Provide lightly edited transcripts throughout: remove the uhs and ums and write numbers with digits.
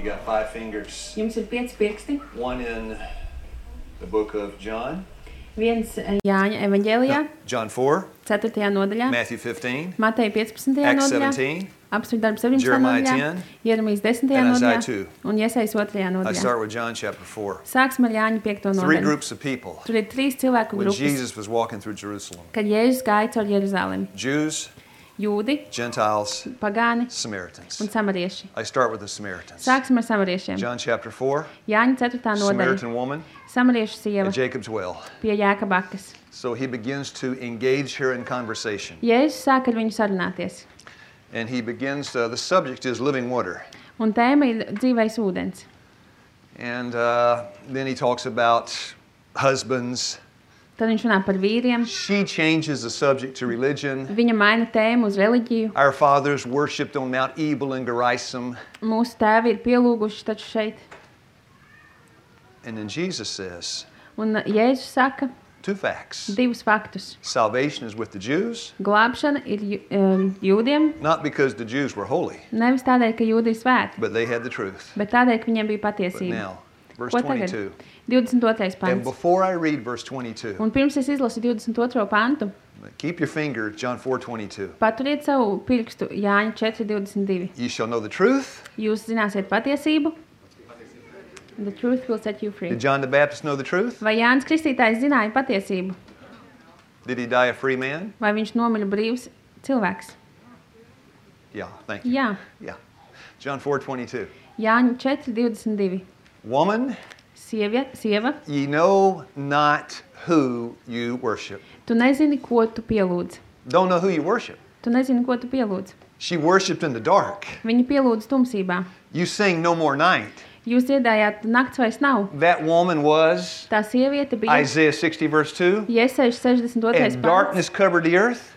You got 5 fingers. Jums ir 5 pirksti. One in the book of John. Viens Jāņa evaņģēlijā, John 4. 4. nodaļā, Matthew 15. Mateja 15. Acts nodaļā, 17. Apstākļu darbu 17. Jeremiah nodaļā, 10. Jeremijas 10. And Isaiah nodaļā 2. un Jesajas 2. I nodaļā. start with John chapter 4. Sāksim ar Jāņa 5. 3 nodaļu. groups of people Tur ir 3 cilvēku when grupas, Jesus was walking through Jerusalem. kad Jēzus gāja caur Jeruzalemi. Jews, Jūdi, Gentiles, pagāni Samaritans. un samarieši. I start with the Samaritans. Sāksim ar samariešiem. John chapter 4. Jāņa 4. nodaļa. Samaritan woman Samariešu sieva at Jacob's well. pie Jēkabakas. So he begins to engage her in conversation. Jēzus sāk ar viņu sarunāties. And he begins, the subject is living water. Un tēma ir dzīvais ūdens. And then he talks about husbands. Tad viņš runā par vīriem. She changes the subject to religion. Viņa maina tēmu uz reliģiju. Our fathers worshipped on Mount Ebal and Gerizim. Mūsu tēvi ir pielūguši taču šeit. And then Jesus says Un Jēzus saka 2 facts. 2 faktus. Salvation is with the Jews, Glābšana ir jūdiem, not because the Jews were holy, nevis tādēļ, ka jūdi ir svēti, but they had the truth. bet tādēļ, ka viņiem bija But patiesība. now, verse Ko tagad? 22. 22. And pants. before I read verse 22, Un pirms es izlasu 22. pantu, keep your finger, John 4:22. paturiet savu pirkstu Jāņa 4.22. You shall know the truth. Jūs zināsiet patiesību. The truth will set you free. Did John the Baptist know the truth? Vai Jānis Kristītājs zināja patiesību? Did he die a free man? Vai viņš nomira brīvs cilvēks? Yeah, thank you. Jā. Yeah. John 4:22. Jāņa 4.22. Woman, Sieva, ye know not who you worship. tu nezini, ko tu pielūdz. Don't know who you worship. Tu nezini, ko tu pielūdz. She worshiped in the dark. Viņi pielūdz tumsībā. You sing no more night. Jūs dziedājāt, nakts vairs nav. That woman was Tā sieviete bija Isaiah 60 verse 2. Jesajas 62. And pants. darkness covered the earth,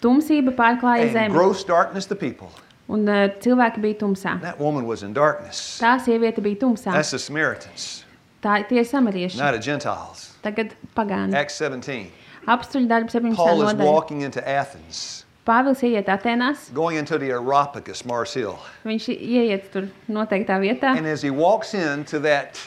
Tumsība pārklāja and zemi. gross darkness the people. Un cilvēki bija tumsā. That woman was in darkness. Tā sieviete bija tumsā. That's the Samaritans, Tie ir samarieši. not the Gentiles. Tagad pagāni. Acts 17. Apstuļu darbu 17. Paul is nodaļa. walking into Athens, Pāvils ieiet Atenās. going into the Areopagus, Mars Hill. Viņš ieiet tur noteiktā vietā. And as he walks into that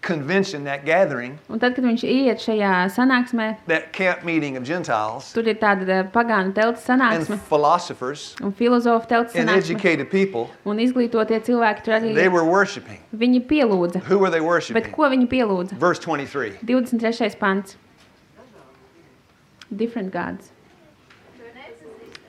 convention, that gathering, Un tad, kad viņš ieiet šajā sanāksmē, that camp meeting of Gentiles tur ir tāda pagānu telts and sanāksme philosophers un filozofu telts and sanāksme. educated people, Un izglītotie cilvēki tur arī they were worshiping. viņi pielūdza. Who were they Bet worshiping? ko viņi pielūdza? Verse 23. 23. pants. Different gods.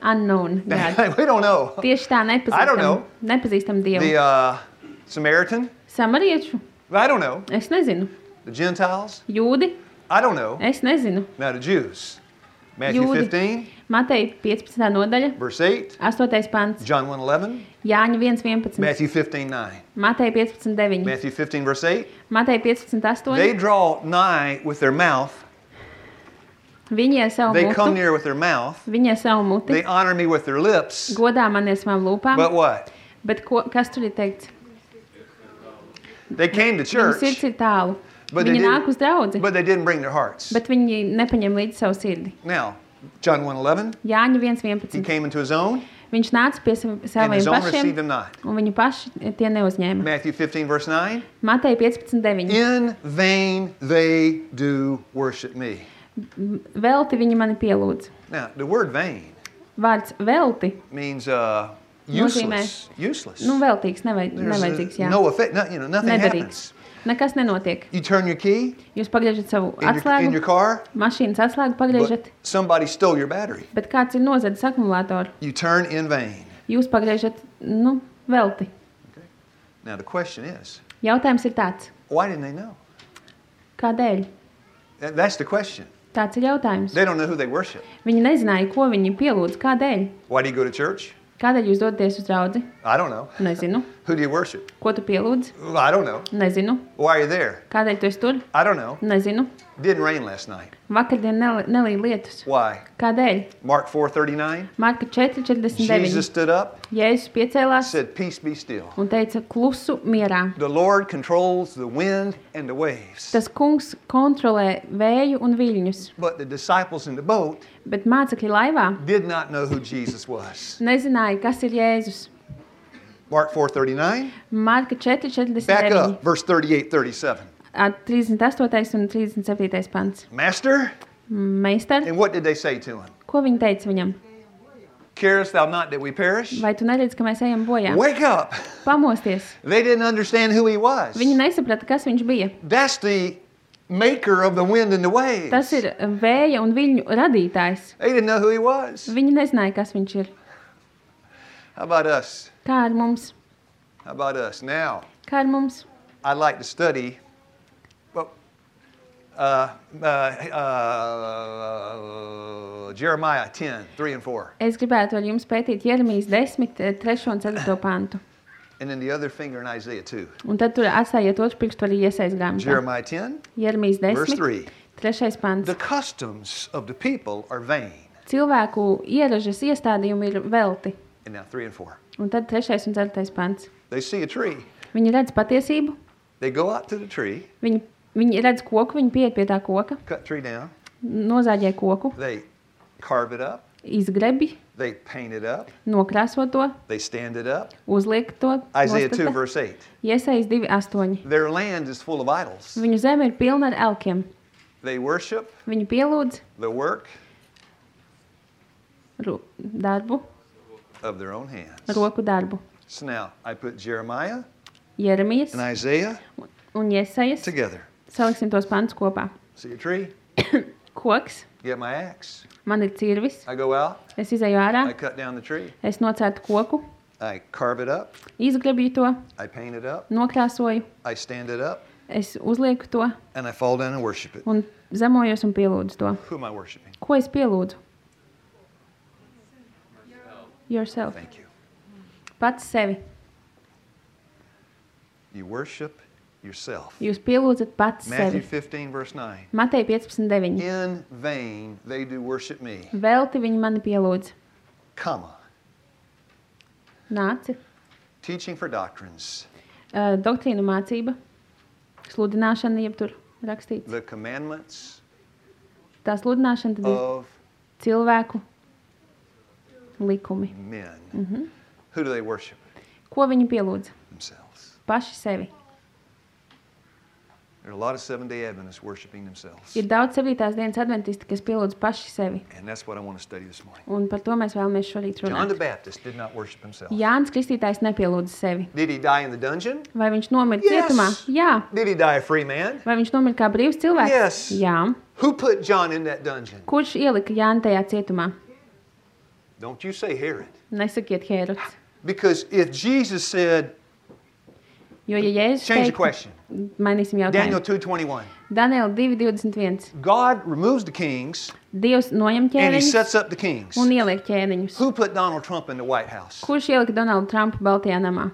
Unknown gods. We don't know. Tieši tā I don't know. nepazīstam Dievu. The Samaritan? Samariešu? I don't know. Es nezinu. The Gentiles? Jūdi? I don't know. Es nezinu. Now the Jews. Matthew Jūdi. 15, Mateja 15. nodaļa, verse 8. 8. pants. John 1:11. Jāņa 1.11. Matthew 15:9. Mateja 15.9. Matthew 15, verse 8. Mateja 15.8. They draw nigh with their mouth. Viņi ar savu They come mutu. near with their mouth. Viņi ar savu muti. They honor me with their lips. Godā man ar savām lūpām. But what? Bet kas tur ir teikts? They came to Viņu church, sirds ir tālu. but they Viņi nāk uz didn't, draudzi, but they didn't bring their hearts. bet viņi nepaņem līdzi savu sirdi. Now, John 1:11. Jāņa He 1.11. came into his own, Viņš nāca pie and saviem his own pašiem, received him not. un viņi paši tie neuzņēma. Matthew 15, verse 9. Mateja 15.9. In vain they do worship me. Velti viņi mani pielūdz. Now, the word vain Vārds velti, means Nozīmē- useless. Useless. nu veltīgs, There's nevajadzīgs, jā. no effect. Nothing Nederīgs. happens. Nekas nenotiek. You turn your key Jūs pagriežat savu in your atslēgu, car, mašīnas atslēgu pagriežat, but somebody stole your battery. bet kāds ir nozadzis akumulātoru. You turn in vain. Jūs pagriežat, velti. Now, the question is, Jautājums ir tāds, why didn't they know? kādēļ? That's the question. Tāds ir jautājums. They don't know who they worship. Viņi nezināja, ko viņi pielūdz, kādēļ. Why do you go to church? Kādēļ jūs dodaties uz draudzi? I don't know. Nezinu. Who do you worship? Ko tu pielūdz? I don't know. Nezinu. Why are you there? Kādēļ tu esi tur? I don't know. Nezinu. Didn't rain last night. Vakardien nelīja lietus. Why? Kādēļ? Mark 4:39. Marka 4.49. Jesus stood up, Jēzus piecēlās said, "Peace be still." un teica klusu mierā. The Lord controls the wind and the waves. Tas kungs kontrolē vēju un viļņus, But the disciples in the boat bet mācekļi laivā did not know who Jesus was. nezināja, kas ir Jēzus. Mark 4:39. Marka Back 4:49. up, verse 38, 37. 38. un 37. pants. Master, Meistar, and what did they say to him? ko viņi teica viņam? Carest thou not that we perish? Vai tu neredzi, ka mēs ejam bojā? Wake up. Pamosties. They didn't understand who he was. Viņi nesaprata, kas viņš bija. That's the maker of the wind and the waves. Tas ir vēja un viļņu radītājs. They didn't know who he was. Viņi nezināja, kas viņš ir. How about us? Kā ar mums? How about us? Now, Kā ar mums? I'd like to study well, Jeremiah 10, 3 and 4. Es gribētu ar jums pētīt Jeremijas 10, 3 un 4 pantu. And then the other finger in Isaiah 2. Un tad tur atstājiet otru pirkstu arī Iesajas grāmatā. Jeremiah 10, Jeremijas verse 10, 3. 3 pants. The customs of the people are vain. Cilvēku ieražas iestādījumi ir velti. And now 3 and 4. Un tad 3 un 4 pants. They see a tree. Viņi redz patiesību, They go out to the tree, viņi redz koku, viņi pieiet pie tā koka, cut tree down. nozāģē koku, They carve it up. izgrebi, They paint it up. nokrāso to, They stand it up. uzliek to. Isaiah 2, nostata. verse 8. Iesajas 2:8. Their land is full of idols. Viņu zeme ir pilna ar elkiem. They worship Viņi pielūdz the work darbu, of their own hands. roku darbu. So now I put Jeremiah Jeremijas and Isaiah un Iesajas. together. Saliksim tos pantus kopā. See a tree? Koks, Get my axe. man ir cirvis, I go out. es izēju ārā, I cut down the tree. es nocērtu koku, I carve it up. izgrebju to, I paint it up. nokrāsoju, I stand it up. es uzlieku to And I fall down and worship it. un zemojos un pielūdzu to. Who am I worshiping? Ko es pielūdzu? Yourself. Thank you. Pats sevi. You worship yourself. Jūs pielūdzat pats Matthew sevi. 15, verse 9. Matei 15:9. In vain they do worship me. Velti viņi mani pielūdz. Comma. Nāci. Teaching for doctrines. Doktrīnu mācība. Sludināšana, jeb tur rakstīts. The commandments Tā sludināšana tad ir of cilvēku likumi. men. Who do they worship? Ko viņi pielūdz? Themselves. Paši sevi. There are a lot of Seventh-day Adventists worshiping themselves. Ir daudz 7. dienas adventisti, kas pielūdz paši sevi. And that's what I want to study this morning. Un par to mēs vēlamies šorīt John the runāt. Baptist did not worship himself. Jānis Kristītājs nepielūdz sevi. Did he die in the dungeon? Vai viņš nomira Yes. cietumā? Jā. Did he die a free man? Vai viņš nomira kā brīvs cilvēks? Yes. Jā. Who put John in that dungeon? Kurš ielika Jāni tajā cietumā? Don't you say Herod. Nesakiet Hērods. Because if Jesus said, Jo, ja Jēzus change the teikt, question. mainīsim Daniel jautājumu. 2:21. Daniela 2:21. God removes the kings Dievs noņem and he ķēniņus sets up the kings. un ieliek ķēniņus. Who put Donald Trump in the White House? Kurš ielika Donaldu Trumpu Baltajā namā?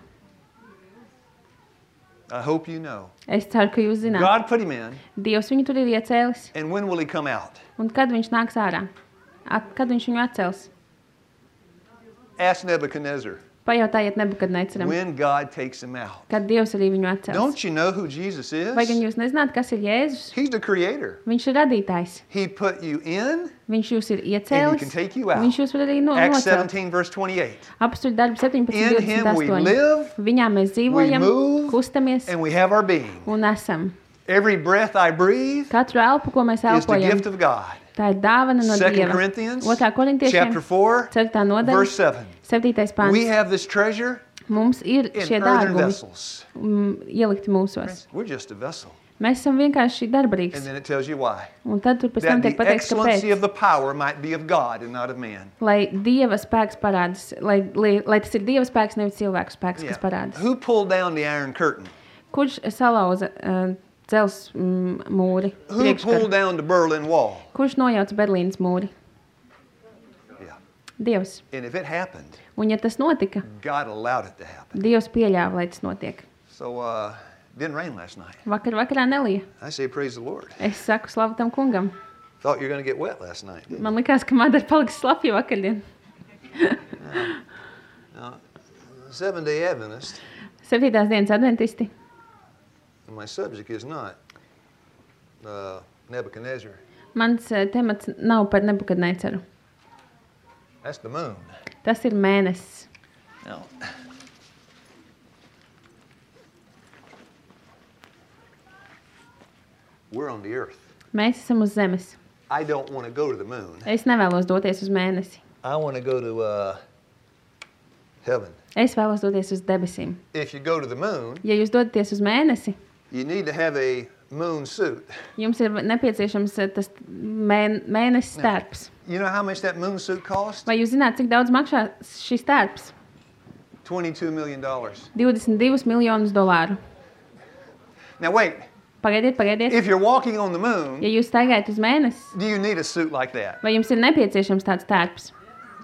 I hope you know. Es ceru, ka jūs zināt. God put him in, Dievs viņu tur ir iecēlis. and when will he come out? Un kad viņš nāks ārā? Kad viņš viņu atcels? Ask Nebuchadnezzar. Pajautājiet Nebukadneceram, When God takes him out. kad Dievs arī viņu atcels. Don't you know who Jesus is? Vai gan jūs nezināt, kas ir Jēzus? He's the creator. Viņš ir radītājs. He put you in. Viņš jūs ir And he iecēlis. can take you out. Viņš jūs var arī Acts nocelt. 17, verse 28. Apstuļu darbu 17, In him we 28. live, Viņā mēs dzīvojam, we move, kustamies and we have our being. un esam. Every breath I breathe Katru elpu, ko mēs is the elpojam, gift of God. tā ir dāvana no 2 Dieva. Corinthians 2. korintiešiem, chapter 4, 4. nodaļa, verse 7. 7. pāns. We have this treasure Mums ir in šie earthen dārgumi vessels. ielikti mūsos. We're just a vessel. Mēs esam vienkārši And darbarīgs. then it tells you why. Un tad tur pēc tam That tiek the pateikts, excellency kāpēc. of the power might be of God and not of man. Lai Dieva spēks parādās, lai tas ir Dieva spēks, nevis cilvēku spēks, kas parādās. Who pulled down the iron curtain? Kurš salauza dzels mūri? Who priekškaru? pulled down the Berlin Wall? Kurš nojauca Berlīnas mūri? Yeah. Dievs. And if it happened, Un ja tas notika, God allowed it to happen. Dievs pieļāva, lai tas notiek. So, didn't rain last night. Vakarā nelija. I say praise the Lord. Es saku slavu tam kungam. Thought you were going to get wet last night. Didn't Man likās, ka Madara paliks slapja vakardien. you? Now, Seventh-day Adventist, 7. dienas adventisti. and my subject is not Nebuchadnezzar. Mans temats nav par Nebukadneceru. That's the moon. Tas ir mēnesis. Now, We're on the earth. Mēs esam uz zemes. I don't want to go to the moon. Es nevēlos doties uz mēnesi. I want to go to heaven. Es vēlos doties uz debesīm. If you go to the moon, Ja jūs dodaties uz mēnesi, you need to have a moon suit. jums ir nepieciešams tas mēnesis tērps. You know how much that moon suit costs? Vai jūs zināt, cik daudz maksā šis tērps? $22 million. 22 miljonus dolāru. Now wait, Pagaidiet. if you're walking on the moon, Ja jūs staigājat uz mēnesi, do you need a suit like that? vai jums ir nepieciešams tāds tērps?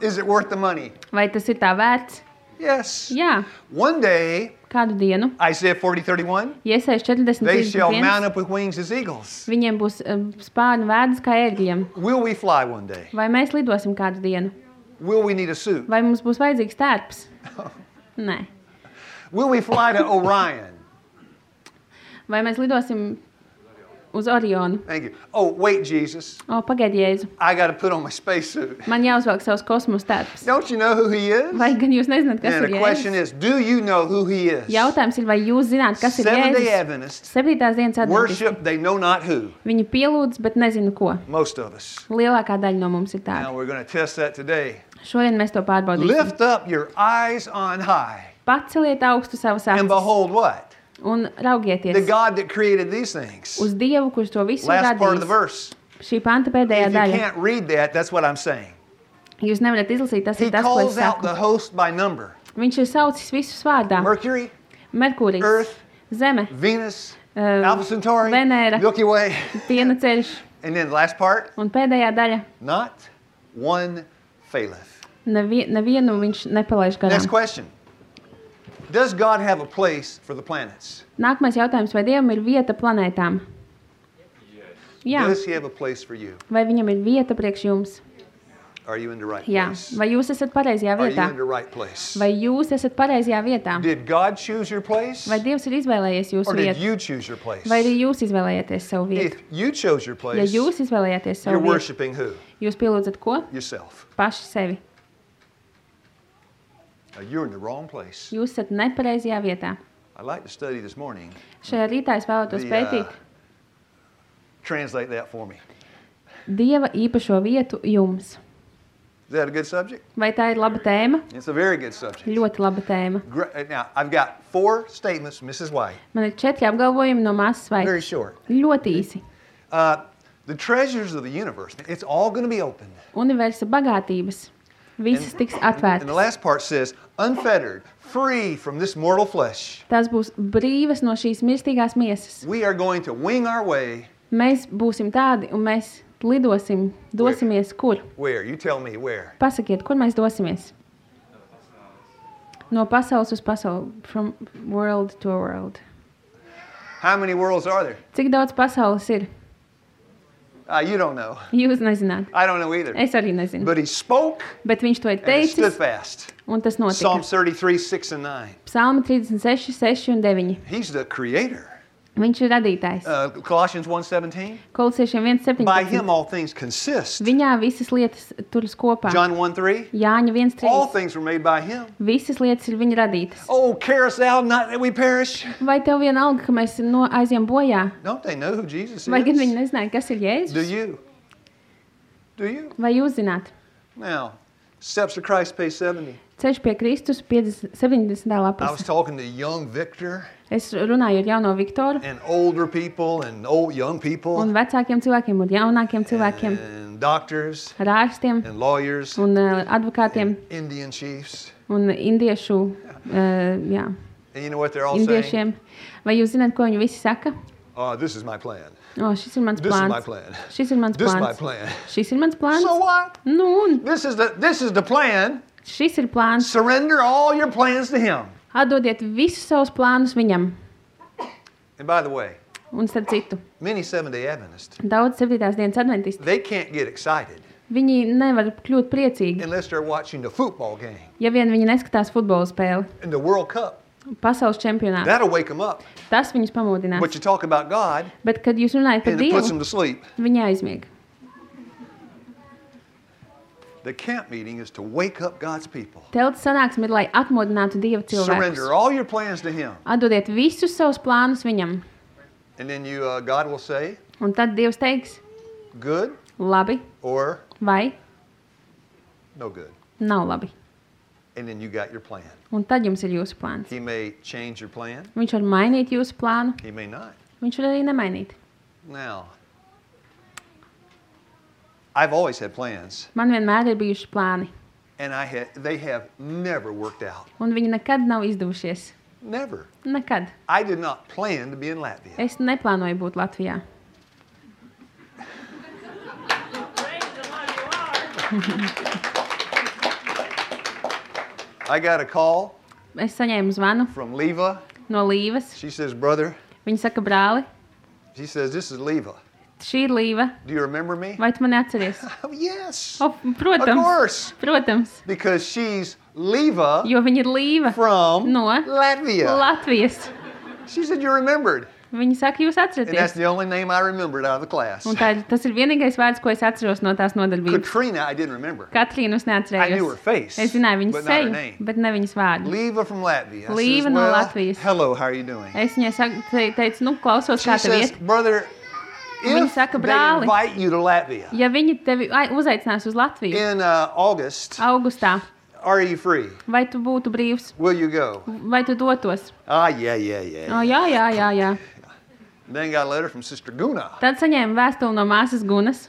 Is it worth the money? Vai tas ir tā vērts? Yes. Jā. One day, Kādu dienu? Isaiah 40:31, Iesaies they shall 40. mount up with wings as eagles. Viņiem būs spārni vēdas kā ērgļiem. Will we fly one day? Vai mēs lidosim kādu dienu? Will we need a suit? Vai mums būs vajadzīgs tērps? Nē. Will we fly to Orion? Vai mēs lidosim uz Orionu? Thank you. Oh, wait, Jesus. O, pagaidi, Jēzu. I got to put on my spacesuit. Man jāuzvelk savs kosmosa tērps. Don't you know who he is? Vai gan jūs nezināt, kas And ir the question Jēzus? is, do you know who he is? Jautājums ir, vai jūs zināt, kas ir Seventh-day Jēzus? Adventists 7. dienas adventisti. worship, they know not who. Viņi pielūdz, bet nezinu ko. Most of us. Lielākā daļa no mums ir Now tāda. we're going to test that today. Šodien mēs to pārbaudīsim. Lift up your eyes on high Paceliet augstu savas and acis behold what? un The raugieties God that created these things. uz Dievu, kurš to visu Last part of the radījis. verse. Šī panta pēdējā If you daļa. can't read that, that's what I'm saying. Jūs nevarat izlasīt, tas He ir tas, ko es calls out the saku. host by number. Viņš ir saucis visus vārdā. Mercury, Merkūrijs, Earth, Zeme, Venus, Alpha Centauri, Venēra. Milky Way. piena ceļš And then the last part, un pēdējā daļa. not one faileth. Nevienu viņš nepalaiž Next garām. question. Does God have a place for the planets? Nākamais jautājums, vai Dievam ir vieta planētām? Jā. Does he have a place for you? Vai viņam ir vieta priekš jums? Are you in the right Jā. place? Vai jūs esat pareizajā Are you vietā? in the right place? Vai jūs esat pareizajā vietā? Did God choose your place? Vai Dievs ir izvēlējies jūsu Or did vietu? you choose your place? Vai arī jūs izvēlējāties savu vietu? If you chose your Ja place, jūs izvēlējāties you're savu vietu, worshiping who? jūs pielūdzat ko? Yourself. Paši sevi. You're in the wrong place. Jūs esat nepareizajā vietā. I'd like to study this morning. Šajā rītā es vēlētos pētīt Translate that for me. Dieva īpašo vietu jums. Is that a good subject? Vai tā ir laba tēma? It's a very good subject. Ļoti laba tēma. Now, I've got 4 statements, Mrs. White. Man ir 4 apgalvojumi no māsas Very vai short. ļoti īsi. The treasures of the universe, it's all going to be opened. Universa bagātības. Visas tiks And the atvērtas. last part says, unfettered, free from this mortal flesh. Tās būs brīvas no šīs mirstīgās miesas. We are going to wing our way. Mēs būsim tādi un mēs lidosim, dosimies kur? Where? You tell me where. Pasakiet, kur mēs dosimies? No pasaules uz pasauli. From world to world. How many worlds are there? Cik daudz pasaules ir? You don't know. Jūs nezināt. I don't know either. Es arī nezinu. But he spoke Bet viņš to ir and it stood teicis fast. un tas notika. Psalms 33, 6 and 9. Psalma 36, 6 un 9. He's the creator. Viņš ir radītājs. Colossians 1:17. Kolosiešiem By him 1,17. all things consist. Viņā visas lietas turas kopā. John 1:3. Jāņa All 1,3. things were made by him. Visas lietas ir viņa radītas. Oh, carest thou not that we perish? Vai tev vienalga, ka mēs aizjām bojā? Don't they know who Jesus Vai gan viņi is? nezināja, kas ir Do Jēzus? you? Do you? Vai jūs zināt? Now, steps of Christ, page 70. Ceļš pie Kristus 70. I was lapas. talking to young Victor Es runāju ar jauno Viktoru and older people and old young people un vecākiem cilvēkiem un jaunākiem cilvēkiem, and doctors ar ārstiem and lawyers, un advokātiem Indian chiefs. un indiešu, jā, And you know what they're all saying? indiešiem. Vai jūs zināt, ko viņi visi saka? Oh, this is my plan. O, šis ir mans This is my plāns. plan. Šis ir mans This is my plāns. plan. Šis ir mans plāns. So what? Nu, un This is the plan. šis ir plāns. Surrender all your plans to him. Atdodiet visus savus plānus viņam. And by the way, Un starp citu, many Seventh-day Adventists, daudz 7. dienas adventisti, they can't get excited viņi nevar kļūt priecīgi, unless they're watching the football game ja vien viņi neskatās futbola spēli, and the World Cup. pasaules čempionātu. That'll wake them up. Tas viņus pamodinās. But you talk about God Bet, kad jūs runājat par and it puts them Dievu, to sleep. viņi aizmieg. The camp meeting is to wake up God's people. Telts sanāksme ir, lai atmodinātu Dieva cilvēkus. Surrender all your plans to him. Atdodiet visus savus plānus viņam. And then God will say, Un tad Dievs teiks, good labi or vai no good. nav labi. And then you got your plan. Un tad jums ir jūsu plāns. He may change your plan. Viņš var mainīt jūsu plānu, He may not. viņš var arī nemainīt. Now, I've always had plans, Man vienmēr ir bijuši plāni, and they have never worked out. un viņi nekad nav izdevušies. Never. Nekad. I did not plan to be in Latvia. Es neplānoju būt Latvijā. I got a call Es saņēmu zvanu from Leva. no Līvas. She says, brother, Viņa saka, brāli, she says, this is Leva. šī ir Līva. Do you remember me? Vai tu mani atceries? Oh, yes. O, Of protams, course. protams, Because she's Leva jo viņa ir Līva from no Latvia. Latvijas. She said, you remembered. Viņa saka, jūs And that's atceraties. the only name I remembered out of the class. Un tas ir vienīgais vārds, ko es atceros no tās nodarbības. Katrina, I didn't remember. Katrīnu es I knew her neatcerējos. face, Es zināju viņas but not her seju, name. bet ne viņas vārdu. Leva from Latvia. I Leva says, no well, Latvijas. hello, how are you doing? Es viņai teicu, nu, klausos, She kā tev says, iet. brother, Viņa if saka, they brāli, invite you to Latvia ja viņi tevi uzaicinās uz Latviju in August, augustā, are you free? vai tu būtu brīvs, Will you go? vai tu dotos? Ah, yeah. O, jā. Then got a letter from Sister Guna. Tad saņēmu vēstuli no māsas Gunas.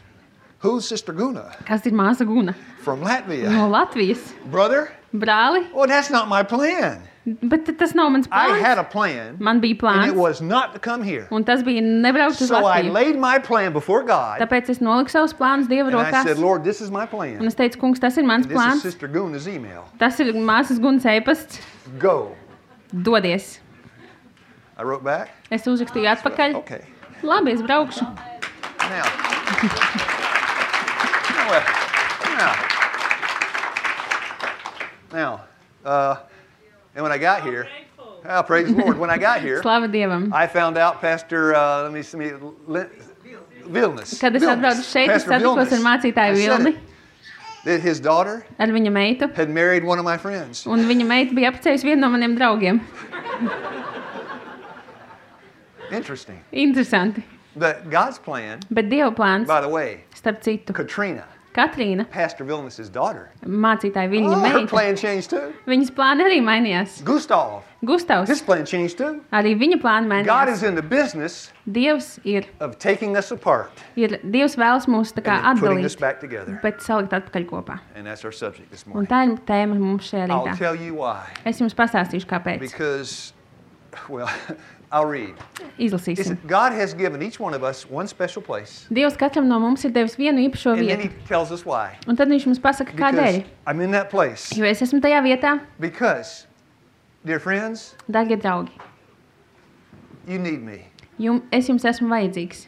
Who's Sister Guna? Kas ir māsa Guna? From Latvia. No Latvijas. Brother, Brāli, well, that's not my plan. bet tas nav mans I plāns. had a plan, Man bija and it plāns, was not to come here. un tas bija nebraukt uz So I Latviju. laid my plan before God, Tāpēc es noliku savus plānus Dieva and I rokās. said, Lord, this is my Un plan. es teicu, kungs, tas ir mans This is plāns. Sister Guna's email. Tas ir māsas Gunas ēpasts. Go. Dodies. I wrote back. Es uzrakstīju atpakaļ. Okay. Labi, es braukšu. Now. Now. And when I got here, oh, praise the Lord. When I got here, Slava Dievam. I found out Pastor, Vilnis. Kad es atbraucu šeit, es Pastor satikos ar Vilnis. mācītāju I said Vilni, it. That his daughter ar viņa meitu. had married one of my friends. Un viņa meita bija apprecējusi vienu no maniem draugiem. Interesting. Interesanti. But God's plan, Bet Dieva plāns, by the way, starp citu, Katrina, Katrīna, Pastor Vilnis' daughter, mācītāja viņa her meita, plan changed too. viņas plāni arī mainījās. Gustav, Gustavs, his plan changed too. arī viņa plāni God mainījās. is in the business Dievs of taking us apart Dievs vēlas mūs tā kā and then putting us atdalīt, back together. bet salikt atpakaļ kopā. And that's our subject this Un morning. tā ir tēma mums šajā I'll rītā. tell you why. Es jums pastāstīšu, kāpēc. Because, well, I'll read. Izlasīsim. Listen, God has given each one of us one special place. Dievs katram no mums ir devis vienu īpašo And then vietu. he tells us why. Un tad viņš mums pasaka, Because kādēļ. I'm in that place. Jo es esmu tajā vietā, Because, dear friends, darbie draugi, you need me. es jums esmu vajadzīgs.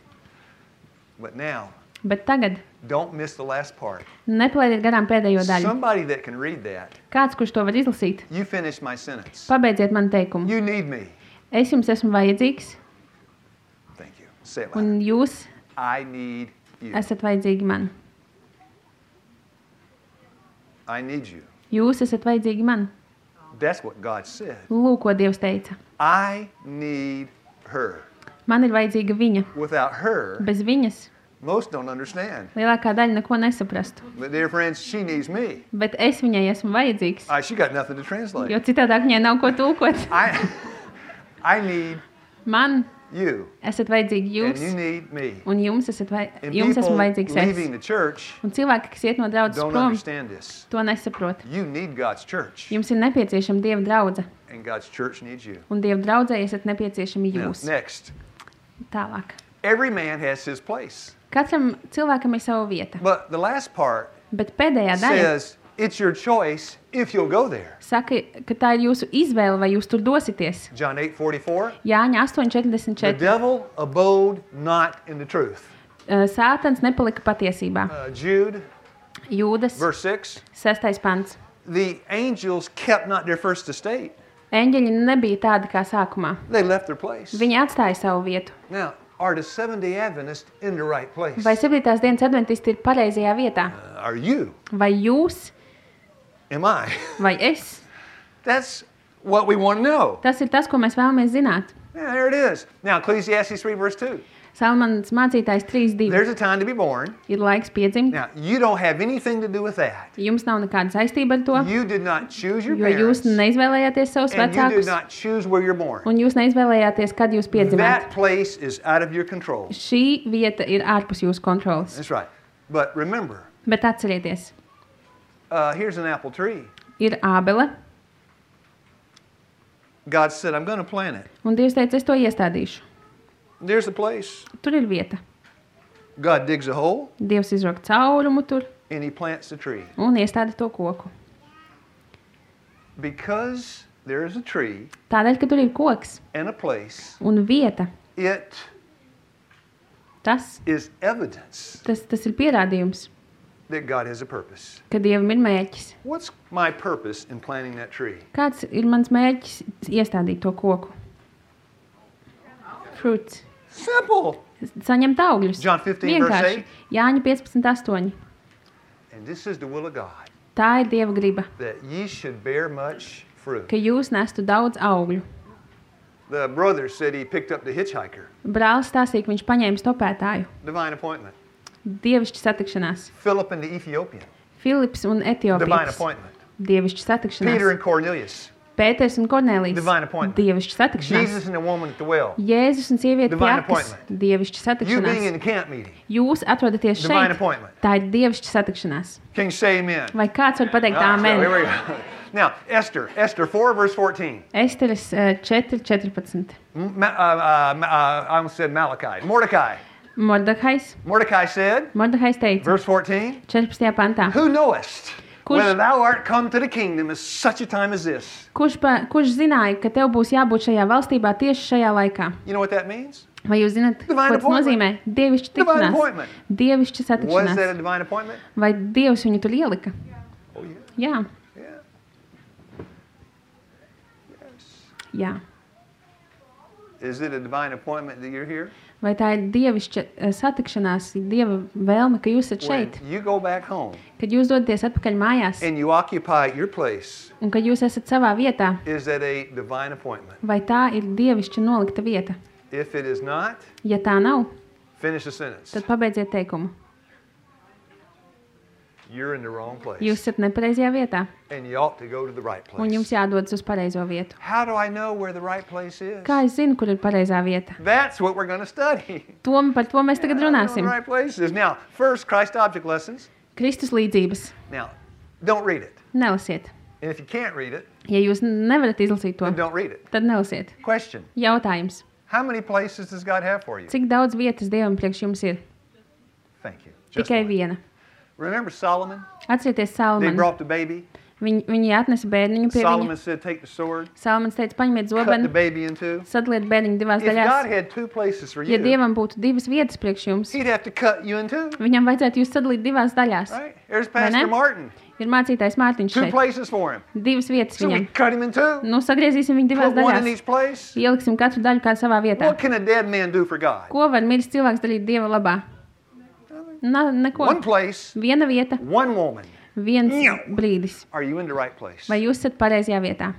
But now, Bet tagad don't miss the last part. nepalaidiet garām pēdējo daļu. Somebody that can read that, Kāds, kurš to var izlasīt, you finish my sentence. pabeidziet man teikumu. You need me. Es jums esmu vajadzīgs, Thank you. Say it loud. un jūs I need you. esat vajadzīgi man. I need you. Jūs esat vajadzīgi man. That's what God said. Lūk, ko Dievs teica. I need her. Man ir vajadzīga viņa. Without her, Bez viņas most don't understand. lielākā daļa neko nesaprastu. But dear friends, she needs me. Bet es viņai esmu vajadzīgs, She got nothing to translate. jo citādāk viņai nav ko tulkot. I need Man you. esat vajadzīgi And jūs, you need me. un jums And esmu people vajadzīgs leaving es. the church Un cilvēki, kas iet no draudzes don't prom, understand this. to nesaprot. You need God's church. Jums ir nepieciešama Dieva draudze, And God's church needs you. un Dieva draudzē esat nepieciešami Now, jūs. next, Tālāk. every man has his place. Katram cilvēkam ir sava vieta, But the last part bet pēdējā daļa says it's your choice if you'll go there. saka, ka tā ir jūsu izvēle, vai jūs tur dosieties. John 8:44. Jāņa The 8:44. devil abode not in the truth. Sātans nepalika patiesībā. Jude, Jūdas, verse 6. 6. pants. The angels kept not their first estate. Eņģeļi nebija tādi kā sākumā. They left their place. Viņi atstāja savu vietu. Now, are the Seventh-day Adventists in the right place? Vai 7. dienas adventisti ir pareizajā vietā? Are you? Vai jūs, Am I? vai es? That's what we want to know. Tas ir tas, ko mēs vēlamies zināt. Yeah, there it is. Now, Ecclesiastes 3, verse 2. Salmans mācītājs 3.2. There's a time to be born. Ir laiks piedzimt. Now, you don't have anything to do with that. Jums nav nekāda saistība ar to, You did not choose your jo jūs parents, neizvēlējāties savus and you did vecākus, not choose where you're born. un jūs neizvēlējāties, kad jūs piedzimāt. That place is out of your control. Šī vieta ir ārpus jūsu kontrolas. That's right. But remember, Bet atcerieties, here's an apple tree. ir ābele, God said, I'm going to plant it. un Dievs teica, es to iestādīšu. There's a place. Tur ir vieta. God digs a hole, Dievs izrok caurumu tur and he plants a tree. un iestāda to koku. Because there is a tree Tādēļ, ka tur ir koks and a place, un vieta, it tas is evidence ir pierādījums, that God has a purpose. ka Dievam ir mērķis. What's my purpose in planting that tree? Kāds ir mans mērķis iestādīt to koku? Fruits. Simple. Saņemt augļus. John 15, verse Vienkārši. 8. Jāņa 15.8. And this is the will of God, Tā ir Dieva griba, that ye should bear much fruit. ka jūs nestu daudz augļu. The brother said he picked up the hitchhiker. Brālis stāstīja, ka viņš paņēma stopētāju. Divine appointment. Dievišķa satikšanās. Philip and the Ethiopian. Filips un Divine Etiopijas. appointment. Dievišķa satikšanās. Peter and Cornelius. Pēters un Kornelijs. Divine appointment. Dievišķa satikšanās. Jesus and the woman at the well. Jēzus un sieviete Divine pie akas. appointment. Dievišķa You being in satikšanās. the camp meeting. Jūs atrodaties Divine šeit. appointment. Tā ir dievišķa satikšanās. Can you say amen? Vai kāds var pateikt Ah, so here āmen? we go. Now, Esther 4, verse 14. Esteres 4.14. I almost said Malachi. Mordecai. Mordecai said, Mordehais teica, verse 14, 14. pantā, who knowest Kurš- whether thou art come to the kingdom at such a time as this? kurš zināja, ka tev būs jābūt šajā valstībā tieši šajā laikā? You know what that means? Vai jūs zināt, Divine ko tas nozīmē? Dievišķa Divine tikšanās. appointment. Dievišķa Was that satikšanās. a divine appointment? Vai Dievs viņu tur ielika? Oh, yeah. Jā, Yeah. jā. Is it a divine appointment that you're here? Vai tā ir dievišķa satikšanās, Dieva vēlme, ka jūs esat When šeit? you go back home Kad jūs dodaties atpakaļ mājās and you occupy your place, un kad jūs esat savā vietā, is that a divine appointment? vai tā ir dievišķa nolikta vieta? If it is not, Ja tā nav, finish the sentence. tad pabeidziet teikumu. You're in the wrong place. Jūs esat nepareizajā vietā And you ought to go to the right un jums place. jādodas uz pareizo vietu. How do I know where the right place is? Kā es zinu, kur ir pareizā vieta? That's what we're going to study. Par to mēs tagad How do I know runāsim. the right place is. Now, first, Christ object lessons. Kristus līdzības. Now, don't read it. Nelasiet. And if you can't read it, Ja jūs nevarat izlasīt to, then don't read it. tad nelasiet. Question. Jautājums. How many places does God have for you? Cik daudz vietas Dievam priekš jums ir? Thank you. Just Tikai one. viena. Remember Solomon? Atcerieties They Salmanu. brought the baby. Viņi atnesa bērniņu pie Solomon viņa. said, take the sword, Salmans teica, paņemiet cut the zobenu, baby in two. sadaliet bērniņu divās If God daļās. had two places for Ja you, Dievam būtu divas vietas priekš jums, he'd have to cut you in two. viņam vajadzētu jūs sadalīt divās daļās. Right? There's Vai ne? Pastor Martin. Ir mācītājs Mārtiņš Two šeit. places for him. Divas vietas So we viņam. cut him in two. Nu, sagriezīsim viņu divās Put one in daļās. each place. Ieliksim katru daļu kā savā vietā. What can a dead man do for God? Ko var miris cilvēks darīt Dieva labā? Neko. One place, Viena vieta, one woman. viens Ņau. brīdis. Are you in the right place? Vai jūs esat pareizajā vietā?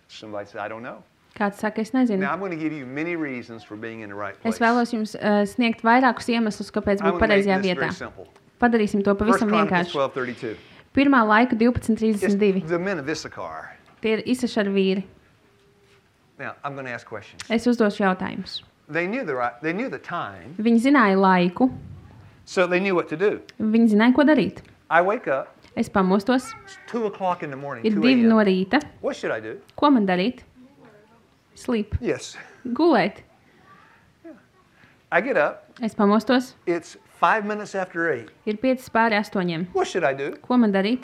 Somebody said, I don't know. Kāds saka, es nezinu. Now, I'm going to give you many reasons for being in the right place. Es vēlos jums sniegt vairākus iemeslus, kāpēc I'm būt going to make pareizajā this vietā. very simple. Padarīsim to First pavisam Chronicles vienkārši. 12:32. Pirmā laika It's 12.32. the men of Issachar. Tie ir Isašaru vīri. Now, I'm going to ask questions. Es uzdošu jautājumus. They knew the time, Viņi zināja laiku, so they knew what to do. viņi zināja, ko darīt. I wake up, Es pamostos, it's 2 o'clock in the morning, ir 2 2 no a.m. rīta. What should I do? Ko man darīt? Sleep. Yes. Gulēt. I get up, Es pamostos, it's 5 minutes after 8. ir 5 pāri 8. What should I do? Ko man darīt?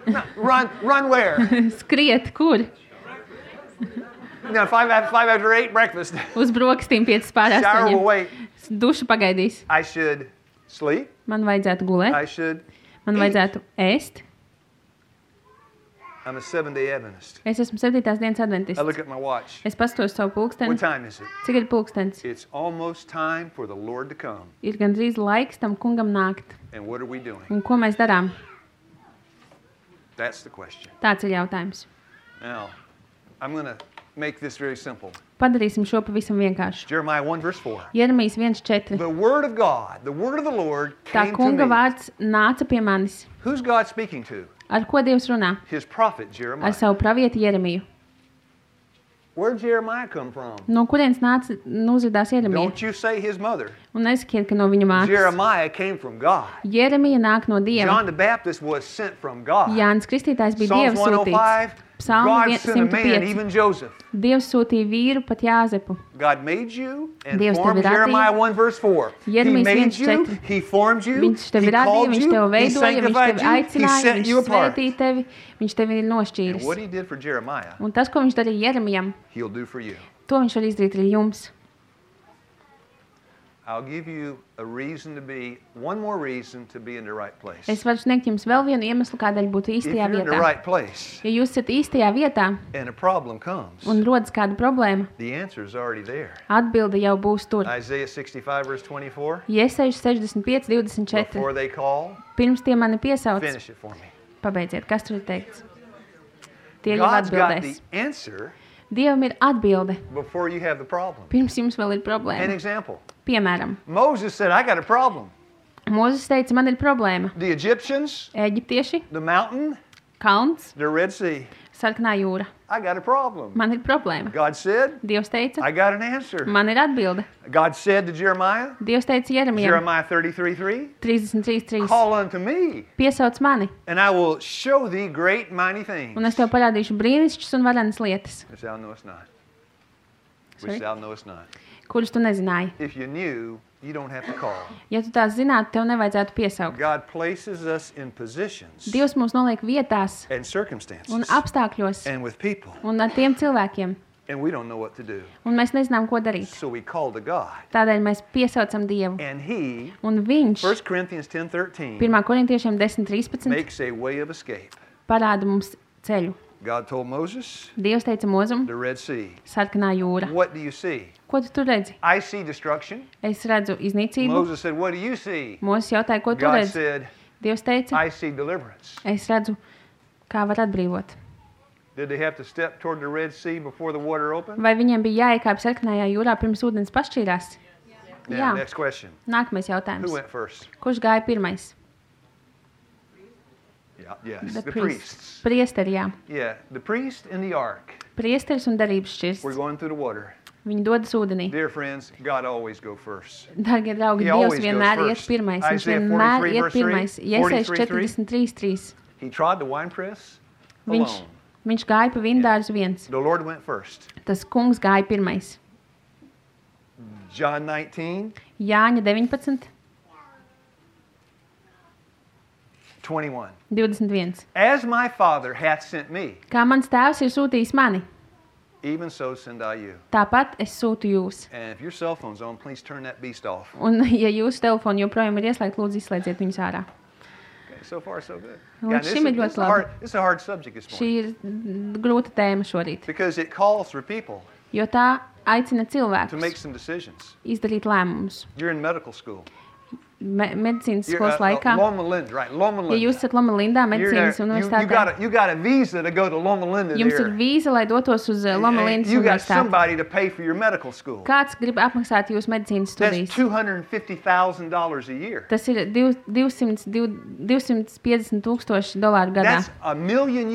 No, run where? Skriet, kur? No, 5 after 8, breakfast. Uz brokastīm 5 pāri Shower will 8. wait. Duša pagaidīs. I should sleep. Man vajadzētu gulēt, I should man eat. vajadzētu ēst. I'm a 7-day Adventist. Es esmu 7. dienas I adventists. look at my watch. Es pastos savu pulksteni. What time is it? Cik ir pulkstenis? It's almost time for the Lord to come. Ir gandrīz laiks tam kungam nākt. And what are we doing? Un ko mēs darām? That's the question. Tāds ir jautājums. Now, I'm going to make this very simple. Padarīsim šo pavisam vienkāršu. Jeremiah 1 verse 4. Jeremijas 1:4. The word of God, the word of the Lord Tā came to kunga me. vārds nāca pie manis. Who's God speaking to? Ar ko Dievs runā? His prophet Ar Jeremiah. savu pravieti Jeremiju. Where'd Jeremiah come from? No kurienes nāca uzvedās Jeremija? Don't you say his mother. Un nesakiet, ka no viņa mātes. Jeremiah came from God. Jeremija nāk no Dieva. John the Baptist was sent from God. Jānis Kristītājs bija Psalms Dieva sūtīts. 105, Psalm God sent a man, 105. even Joseph. Dievs sūtīja vīru, pat Jāzepu. God made you and Dievs formed tevi radīja. Jeremiah 1 verse 4. He Jeremijas made you, 1:4. He formed you, Viņš tevi He radīja, called viņš you, tevi He veidoja, viņš sanctified tevi you, He aicināja, set viņš you apart. svētīja tevi, viņš tevi ir And nošķīris. what He did for Jeremiah, Un tas, ko viņš darīja Jeremijam, He'll do for you. to viņš var izdarīt arī jums. I'll give you a reason to be, one more reason to be in the right place. Es varu sniegt jums vēl vienu iemeslu, kādēļ būt If īstajā you're in the vietā. right place Ja jūs esat īstajā vietā and a problem comes, un rodas kāda problēma, the answer is already there. atbilde jau būs tur. Isaiah 65 verse 24. Iesaistīju 65, 24. Before they call, Pirms tie mani piesauc, finish it for me. pabeidziet, kas tur ir teikts. Tie jau God's got atbildēs. the answer Dievam ir atbilde, before you have the problem. pirms jums vēl ir An problēma. example. Piemēram, Moses said, I got a problem. Mūzes teica, man ir problēma. The Egyptians, Eģiptieši, the mountain, kalns, the Red Sea. sarkanā jūra. I got a problem. Man ir problēma. God said, Dievs teica, I got an answer. man ir atbilde. God said to Jeremiah, Dievs teica Jeremijam, Jeremiah 33:3, 33.3. call unto me, Piesauc mani, and I will show thee great mighty things. un es tev parādīšu brīnišķus un varenas lietas, Which thou knowest not. Sorry? Which thou knowest not. kuras tu nezināji. If you knew, you don't have to call. Ja tu tās zinātu, tev nevajadzētu piesaukt. God places us in positions Dievs mūs noliek vietās and circumstances un apstākļos and with people, un ar tiem cilvēkiem, and we don't know what to do. un mēs nezinām, ko darīt. So we call to God. Tādēļ mēs piesaucam Dievu. And He, Un viņš 1 Corinthians 10:13, 1. korintiešiem 10.13 makes a way of escape. parāda mums ceļu. God told Moses, Dievs teica Mozum, the Red Sea. sarkanā jūra. What do you see? Ko tu tur redzi? I see destruction. Es redzu iznīcību. Moses said, what do you see? Mūzes jautāja, ko tu God redzi? said, Dievs teica, I see deliverance. es redzu, kā var atbrīvot. Did they have to step toward the Red Sea before the water opened? Vai viņiem bija jāiekāp sarkanajā jūrā pirms ūdens pašķīrās? Now, Jā. next question. Nākamais Who jautājums. went first? Kurš gāja pirmais? Yeah, yes, The the priests. priests. Priesteri, jā. Yeah, the priest in the ark. Priesteris un darības šķirs. We're going through the water. Viņi dodas ūdenī. Dear friends, God always go first. Dargie draugi, He Dievs always vienmēr goes iet first. pirmais. Viņš Isaiah vienmēr 43 iet verse 3, pirmais. Iesaist 43:3. 43.3. He trod the winepress Viņš, alone. viņš gāja pa vindārzu viens. The Lord went first. Tas kungs gāja pirmais. John 19, Jāņa 19, 21. 21. As my Father hath sent me, Kā mans tēvs ir sūtījis mani, even so send I you. tāpat es sūtu jūs. And if your cell phone's on, please turn that beast off. Un, ja jūsu telefoni joprojām ir ieslēgti, lūdzu izslēdziet viņus ārā. Okay, so far, so good. Līdz šim ir ļoti labi. This is a hard subject this Šī morning. ir grūta tēma šorīt, Because it calls for people jo tā aicina to make cilvēkus some decisions. izdarīt lēmumus. You're in medical school. Medicīnas You're skolas laikā, Loma Linda, right? Loma ja Linda. jūs esat Loma Lindā You're there. medicīnas You universitātē, got a visa to go to Loma Linda jums ir there. vīza, lai dotos uz Loma And Lindas you got universitāti. somebody to pay for your medical school. Kāds grib apmaksāt jūsu medicīnas That's studijas? $250,000 a year. Tas ir 250 tūkstoši dolāru gadā. That's $1 million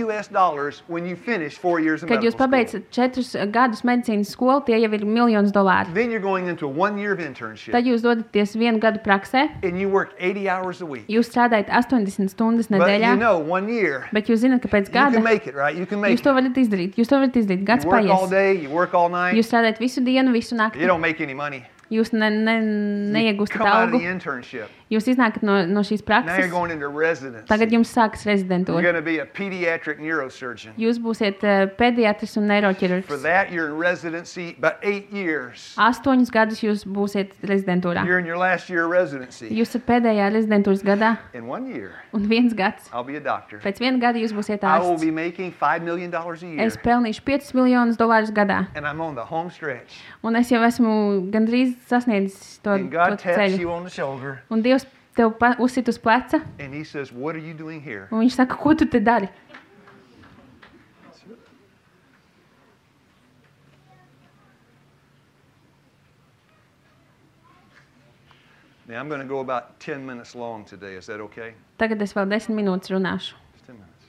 when you finish 4 years of Kad jūs medical school. pabeidzat 4 gadus medicīnas skolu, tie jau ir miljonus dolāru. Then you're going into a 1 year of internship. Tad jūs dodaties 1 gadu praksē, And you work 80 hours a week. jūs strādājat 80 stundas But nedēļā, you know, 1 year, bet jūs zināt, ka pēc you gada can make it, right? You can make jūs to it. varat izdarīt. Jūs to varat izdarīt. Gads You work all paies. day, you work all night. Jūs strādājat visu dienu, visu You nakti. don't make any money. Jūs neiegūstat Come out of algu. the internship. Jūs iznākat no šīs Now you're prakses. going into residency. Tagad jums sākas You're rezidentūra. going to be a pediatric neurosurgeon. Jūs būsiet pediatrs un For neiroķirurgs. that, you're in residency about 8 years. 8 gadus jūs būsiet rezidentūrā. You're in your last year of residency. Jūs esat pēdējā rezidentūras gadā In 1 year, un 1 gads. I'll be a doctor. Pēc 1 gada jūs būsiet I will ārsts. be making $5 million a year. Es pelnīšu 5 miljonus dolārus gadā. And I'm on the home stretch. Un es jau esmu gandrīz sasniedzis to And God taps ceļu. you on the shoulder. Un Dievs tev uzsit uz pleca, And He says, what are you doing here? un viņš saka, ko tu te dari? Now I'm going to go about 10 minutes long today. Is that okay? Tagad es vēl 10 minūtes runāšu. Just 10 minutes.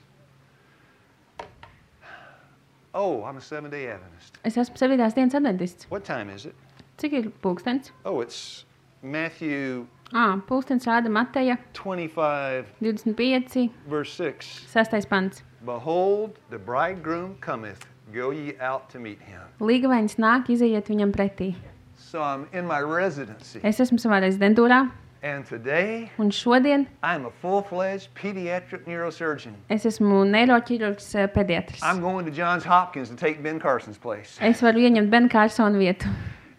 Oh, I'm a Seventh-day Adventist. Es esmu 7. dienas adventists. What time is it? Cik ir pulkstens? Oh, it's Matthew Pulkstens rāda Mateja 25, 25, verse 6. 6. pants. Behold, the bridegroom cometh. Go ye out to meet him. Līgavains nāk, izejiet viņam pretī. So I'm in my residency. Es esmu savā rezidentūrā, And today, un šodien I'm a full-fledged pediatric neurosurgeon. es esmu neiroķirurgs pediatrs. I'm going to Johns Hopkins to take Ben Carson's place. Es varu ieņemt Ben Carsona vietu.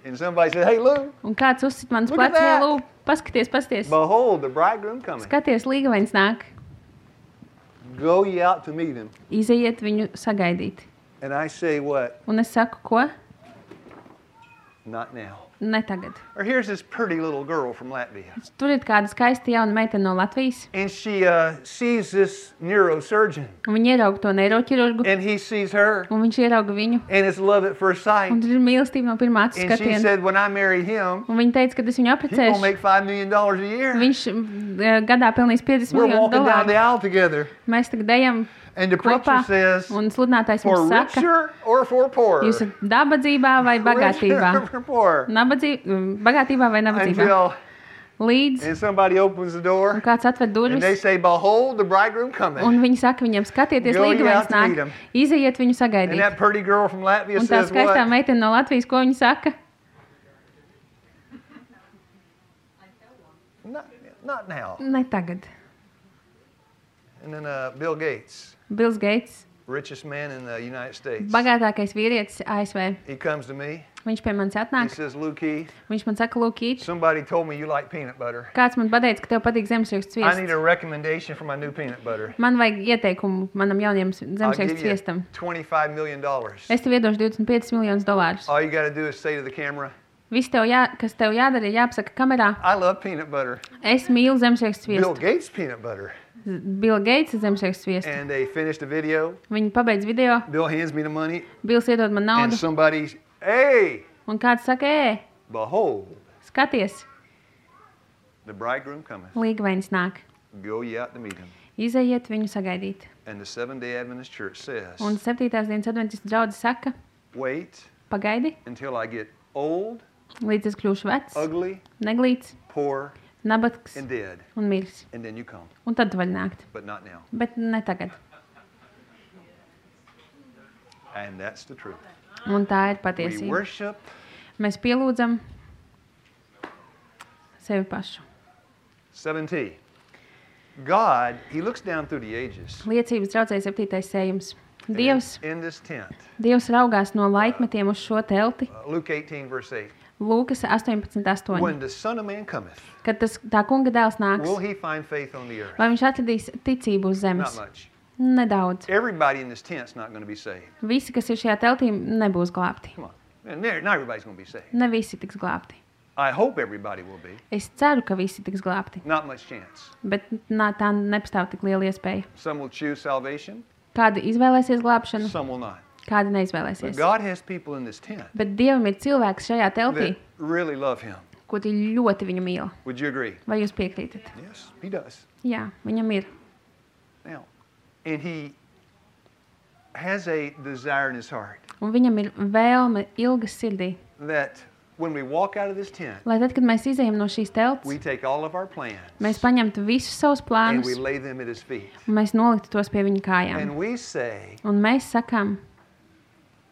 And somebody said, hey, Lou, Un kāds uzsit mans Look at plecs, that. Lū, paskaties. behold, the bridegroom coming. Skaties, līgavains nāk, Go ye out to meet him. izejiet viņu sagaidīt. And I say what? Un es saku, ko? Not now. Ne tagad. Or here's this pretty little girl from Latvia. Tur ir kāda skaista jauna meitene no Latvijas, And she sees this neurosurgeon. un viņa ierauga to neiroķirurgu, And he sees her. un viņš ierauga viņu, And it's love at first sight. un tur ir mīlestība no pirmā acu And she skatiena. said, when I marry him, Un viņa teica, ka es viņu he's going to apprecēšu. make $5 million a year. Viņš gadā pelnīs 50 We're miljonu walking down the dolāru. aisle together. Mēs tagad ejam And the preacher kopā, says, un sludinātājs for mums saka, richer or for poorer? jūs esat dabadzībā vai bagātībā? Richer or poorer? Bagātībā vai nabadzībā? Until, Līdz, and somebody opens the un door, kāds atver and they durvis, say, behold, the bridegroom coming. un viņi saka viņam, skatieties, Go ye līgavains out to meet nāk, him. izejiet viņu And sagaidīt. that pretty girl from Latvia Un tā says skaistā what? meitene no Latvijas, ko viņa saka? Not now. Ne tagad. And then Bill Gates, Bills Gates, richest man in the United States. bagātākais vīrietis ASV. He comes to me. Viņš pie manis He atnāk, says, Lou Keith, viņš man saka, Lūkīt, somebody told me you like peanut butter. kāds man pateica, ka tev patīk zemesriekstu I need sviests. a recommendation for my new peanut butter. Man vajag ieteikumu manam jaunajam I'll zemesriekstu give you sviestam. $25 million. Es tev iedošu 25 miljonus dolārus. All you got to do is say to the camera, Viss, kas tev jādara, ir jāpasaka kamerā. I love peanut butter. Es mīlu zemesriekstu Bill sviestu. Gates peanut butter. Bill Gates ir zemesriekstu sviestu. And they finished the video. Viņi pabeidz video, Bill hands me the money. Bills iedod man And naudu, somebody, hey, un kāds saka, behold, skaties, the bridegroom cometh. līgavains nāk. Go ye out to meet him. Izejiet viņu sagaidīt. And the Seventh-day Adventist Church says, Un 7. dienas adventistu draudze saka, wait pagaidi, until I get old, līdz es kļūšu vecs, ugly, neglīts, poor, nabadzīgs and dead. un miris. And then you come. Un tad tu vari nākt. But not now. Bet ne tagad. And that's the truth. Un tā ir We patiesība. worship Mēs pielūdzam sevi pašu. 7T. God, He looks down through the ages. Liecības draudzē 7. sējums. And Dievs, in this tent, Dievs raugās no laikmetiem uz šo telti. Luke 18, verse 8. Lūkas 18.8. When the Son of Man cometh, Kad tā kunga dēls nāks, will He find faith on the earth? vai viņš atradīs ticību uz Not zemes? much. Nedaudz. Everybody in this tent's not going to be saved. Visi, kas ir šajā teltī, nebūs glābti. Come on. And not everybody's going to be saved. Ne visi tiks glābti. I hope everybody will be. Es ceru, ka visi tiks glābti, Not much chance. bet tā nepastāv tik liela iespēja. Some will choose salvation, Kādi izvēlēsies glābšanu, some will not. kādi But neizvēlēsies. God has people in this tent Bet Dievam ir cilvēks šajā teltī, that really love Him. ko tie ļoti viņu mīl. Would you agree? Vai jūs piekrītat? Yes, He does. Jā, viņam ir. Now, and He has a desire in His heart Un viņam ir vēlme ilgas sirdī. that when we walk out of this tent, Lai tad, kad mēs izejam no šīs telts, we take all of our plans mēs paņemtu visus savus and plānus we lay them at His feet. un mēs noliktu tos pie viņa kājām. And we say, Un mēs sakām,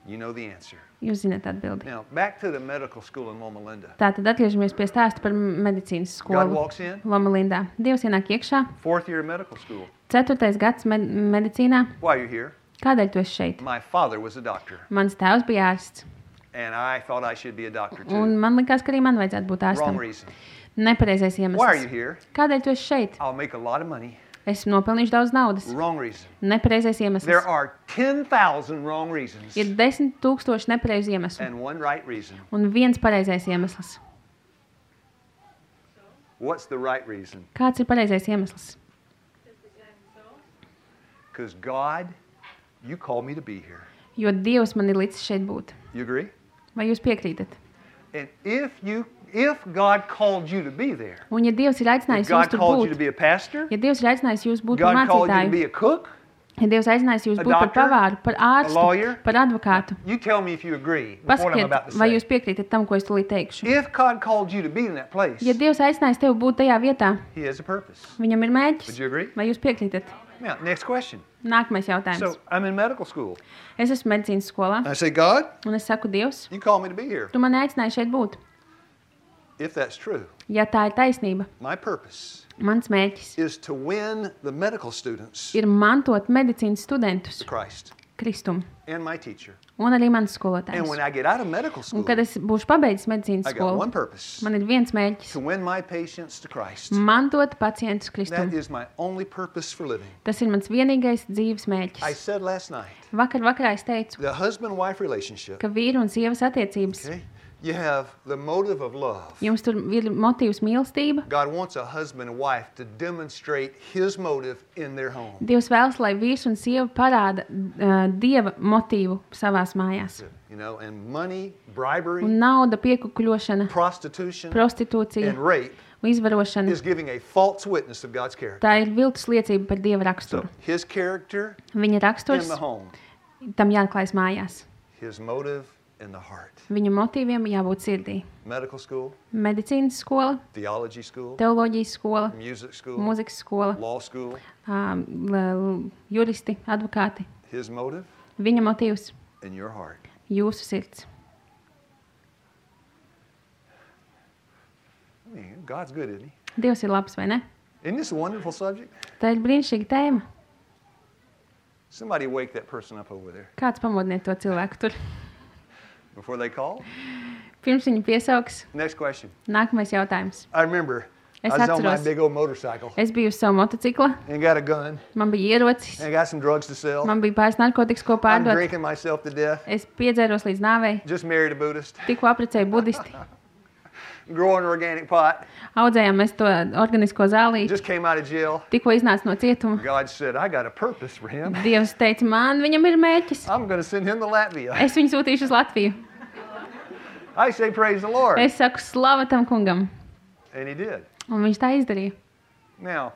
you know the answer. jūs zināt atbildi. Now, back to the medical school in Loma Linda. Tātad atgriežamies pie stāsta par medicīnas God skolu walks in, Loma Lindā. Dievs ienāk iekšā, 4th year medical school. 4. gads medicīnā. Why are you here? Kādēļ tu esi šeit? My father was a doctor, Mans tēvs bija ārsts, and I thought I should be a doctor too. un man likās, ka arī man vajadzētu būt Wrong ārstam. reason. Nepareizais Why are you iemesls. here? Kādēļ tu esi šeit? I'll make a lot of money. Es nopelnīšu daudz naudas. Wrong reason. Nepareizais There iemesls. are 10,000 wrong reasons Ir 10,000 nepareizu iemeslu and one right reason. un viens pareizais iemesls. What's the right reason? Kāds ir pareizais iemesls? Because God, you called me to be here. Jo Dievs man ir licis šeit būt. You agree? Vai jūs piekrītat? And if you if God called you to be there, Un ja Dievs ir if aicinājis jūs God tur called you to būt, be a pastor, ja Dievs ir aicinājis jūs būt par God called you to be mācītāju, a cook, ja Dievs aicinājis jūs a būt par doctor, pavāru, par a ārstu, lawyer, par advokātu, you tell me if you agree with what I'm pasakiet, about to vai say. jūs piekrītat tam, ko es tulīt teikšu. If God called you to be in that place, Ja Dievs aicinājis tevi būt tajā vietā, He has a purpose. viņam ir Would mērķis, you agree? vai jūs piekrītat? Now, next question. Nākamais jautājums. So, I'm in medical school. Es esmu medicīnas skolā, I say, God, un es saku, Dievs, you called me to be here. tu mani aicināji šeit būt. If that's true, Ja tā ir taisnība, my purpose mans mērķis is to win the medical students ir mantot medicīnas studentus to Christ Kristumu, and my teacher. un arī mans And skolotājs. when I get out of medical Un school, kad es būšu pabeidzis medicīnas I got one skolu, purpose, man ir viens mērķis to win my patients to Christ. mantot pacientus That Kristumu. is my only purpose for living. Tas ir mans vienīgais dzīves I mērķis. said last night, Vakarā es teicu, the husband-wife relationship, ka vīru un sievas attiecības, okay, you have the motive of love. jums tur ir motīvs mīlestība. God wants a husband and wife to demonstrate his motive in their home. Dievs vēlas, lai vīrs un sieva parāda Dieva motīvu savās mājās. You know, and money, bribery, Un nauda, piekukuļošana, prostitution, prostitūcija and rape un izvarošana. is giving a false witness of God's character. Tā ir viltus liecība par Dieva raksturu. So, his character Viņa in raksturs the home, tam jāklājas mājās. his motive in the heart. Viņu motīviem jābūt sirdī. Medical school, Medicīnas skola, theology school, teoloģijas skola, music school, mūzikas skola, law school, juristi, advokāti. his motive Viņa motīvs in your heart. jūsu sirds. I mean, God's good, isn't he? Dievs ir labs, vai ne? Isn't this a wonderful subject? Tā ir brīnišķīga tēma. Somebody wake that person up over there Kāds pamodiniet to cilvēku tur? before they call. Pirms viņu piesauks, Next question. nākamais jautājums. I remember Es I was on my atceros. big old motorcycle Es biju uz savu motocikla, and got a gun man bija ierocis, and got some drugs to sell. man bija pāris narkotikas, ko I'm pārdot. drinking myself to death. Es piedzēros līdz nāvei, Just married a Buddhist. tikko apprecēju budisti. Growing organic pot. Audzējām mēs to organisko zālīti, Just came out of jail. tikko iznāca no cietuma. God said, I got a purpose for him. Dievs teica, man viņam ir mērķis. I'm going to send him to Latvia. Es viņu sūtīšu uz Latviju. I say, praise the Lord. Es saku, slava tam kungam. And he did. Un viņš tā izdarīja. Now,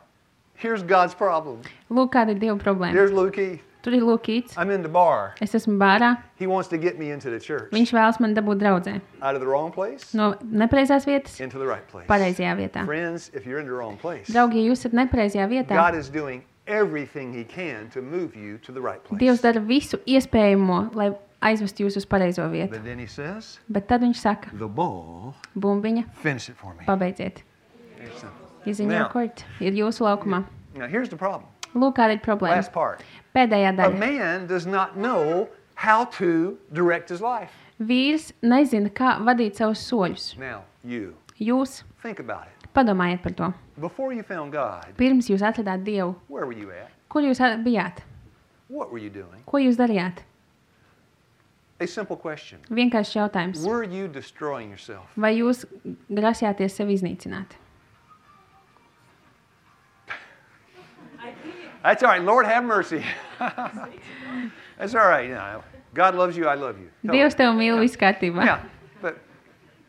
here's God's problem. Lūk, kāda ir Dieva problēma. There's Lukey. Tur ir Lūkīts. I'm in the bar. Es esmu bārā. He wants to get me into the church. Viņš vēlas man dabūt draudzē. Out of the wrong place, No nepareizās vietas, into the right place. pareizajā vietā. Friends, if you're in the wrong place, Draugi, ja jūs esat nepareizajā vietā, God is doing everything he can to move you to the right place. Dievs dara visu iespējamo, lai aizvestu jūs uz pareizo vietu. But then he says, Bet tad viņš saka, the ball, bumbiņa, finish it for me. pabeidziet. It's simple. Iziņā Now. kort, ir jūsu laukumā. Now, here's the problem. Lūk, kāda ir problēma. Last part. Pēdējā A daļa. man does not know how to direct his life. Vīrs nezina, kā vadīt savus soļus. Now, you, Jūs think about it. padomājiet par to. Before you found God, Pirms jūs atradāt Dievu, where were you at? kur jūs bijāt? What were you doing? Ko jūs darījāt? A simple question. Vienkāršs jautājums. Were you destroying yourself? Vai jūs grasījāties sevi iznīcināt? That's all right. Lord, have mercy. That's all right. You know, God loves you. I love you. Totally. Dievs tev mīl, viss kārtībā. Yeah, but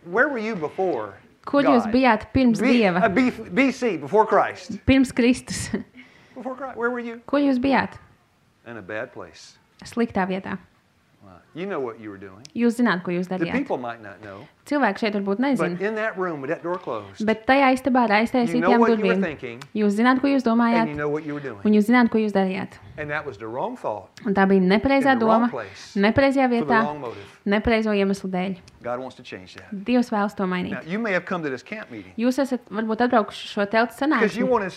where were you before Kur jūs God? bijāt pirms Dieva? BC, before Christ. Pirms Kristus. Before Christ. Where were you? Kur jūs bijāt? In a bad place. Sliktā vietā. Wow. You know what you were doing. Jūs zināt, ko jūs The darījāt. people might not know. Cilvēki šeit varbūt But nezina. in that room with that door closed, Bet tajā istabā ar you know aiztaisītām what you were durvīm. thinking Jūs zināt, ko jūs and domājāt, you know what you were doing. un jūs zināt, ko jūs darījāt. And that was the wrong thought Un tā bija nepareizā in the wrong doma, place nepareizajā for the vietā, wrong motive. nepareizo iemeslu dēļ. God wants to change that. Dievs vēlas to Now, mainīt. you may have come to this camp meeting Jūs esat varbūt atbraukuši šo teltu because you sanāksmi, wanted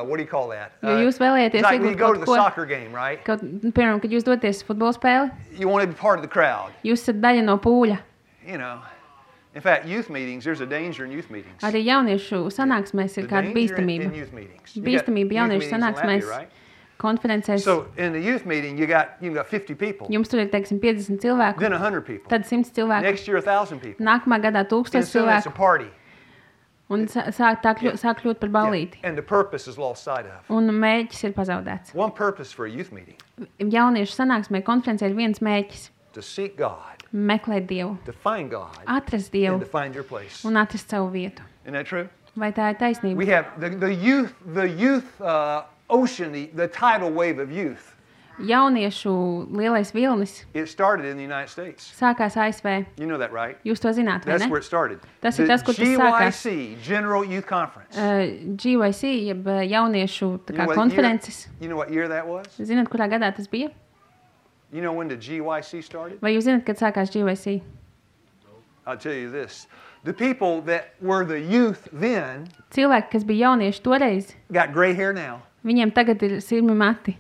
what do you call that? jo jūs vēlējāties It's like when you iegūt go to kaut the ko. soccer game, right? Kaut, piemēram, kad jūs doties futbola spēli, You want to be part of the crowd, jūs esat daļa no pūļa. you know. In fact, youth meetings, there's a danger in youth meetings. Arī jauniešu sanāksmēs ir The kāda danger in bīstamība. youth meetings. You got Bīstamība youth jauniešu meetings in Latvia, sanāksmēs, right? konferencēs. So in the youth meeting, you got 50 people, Jums tur ir, teiksim, 50 cilvēku, then 100 people. tad 100 cilvēku. Next year, 1,000 people. Nākamā gadā 1000 And soon it's a cilvēku. party. Un sāk kļūt par ballīti. And the purpose is lost sight of. Un mēģis ir pazaudēts. One purpose for a youth meeting Jauniešu sanāksmē konferencē ir viens mēģis. to seek God, meklēt Dievu, to find God, atrast and Dievu to find your place. un atrast savu vietu. Isn't that true? Vai tā ir taisnība? We have the youth ocean, the tidal wave of youth. Jauniešu lielais vilnis It started in the United States. sākās ASV. You know that, right? Jūs to zināt, vai That's where ne? it started. Tas ir The tas, kur tas sākās. GYC, General Youth Conference. GYC, jeb jauniešu tā You kā know what konferences. You know what year that was? Zināt, kurā gadā tas bija? You know when the GYC started? Vai jūs zināt, kad sākās GYC? I'll tell you this. The people that were the youth then Cilvēki, kas bija jaunieši toreiz, got gray hair now. viņiem tagad ir sirmi mati.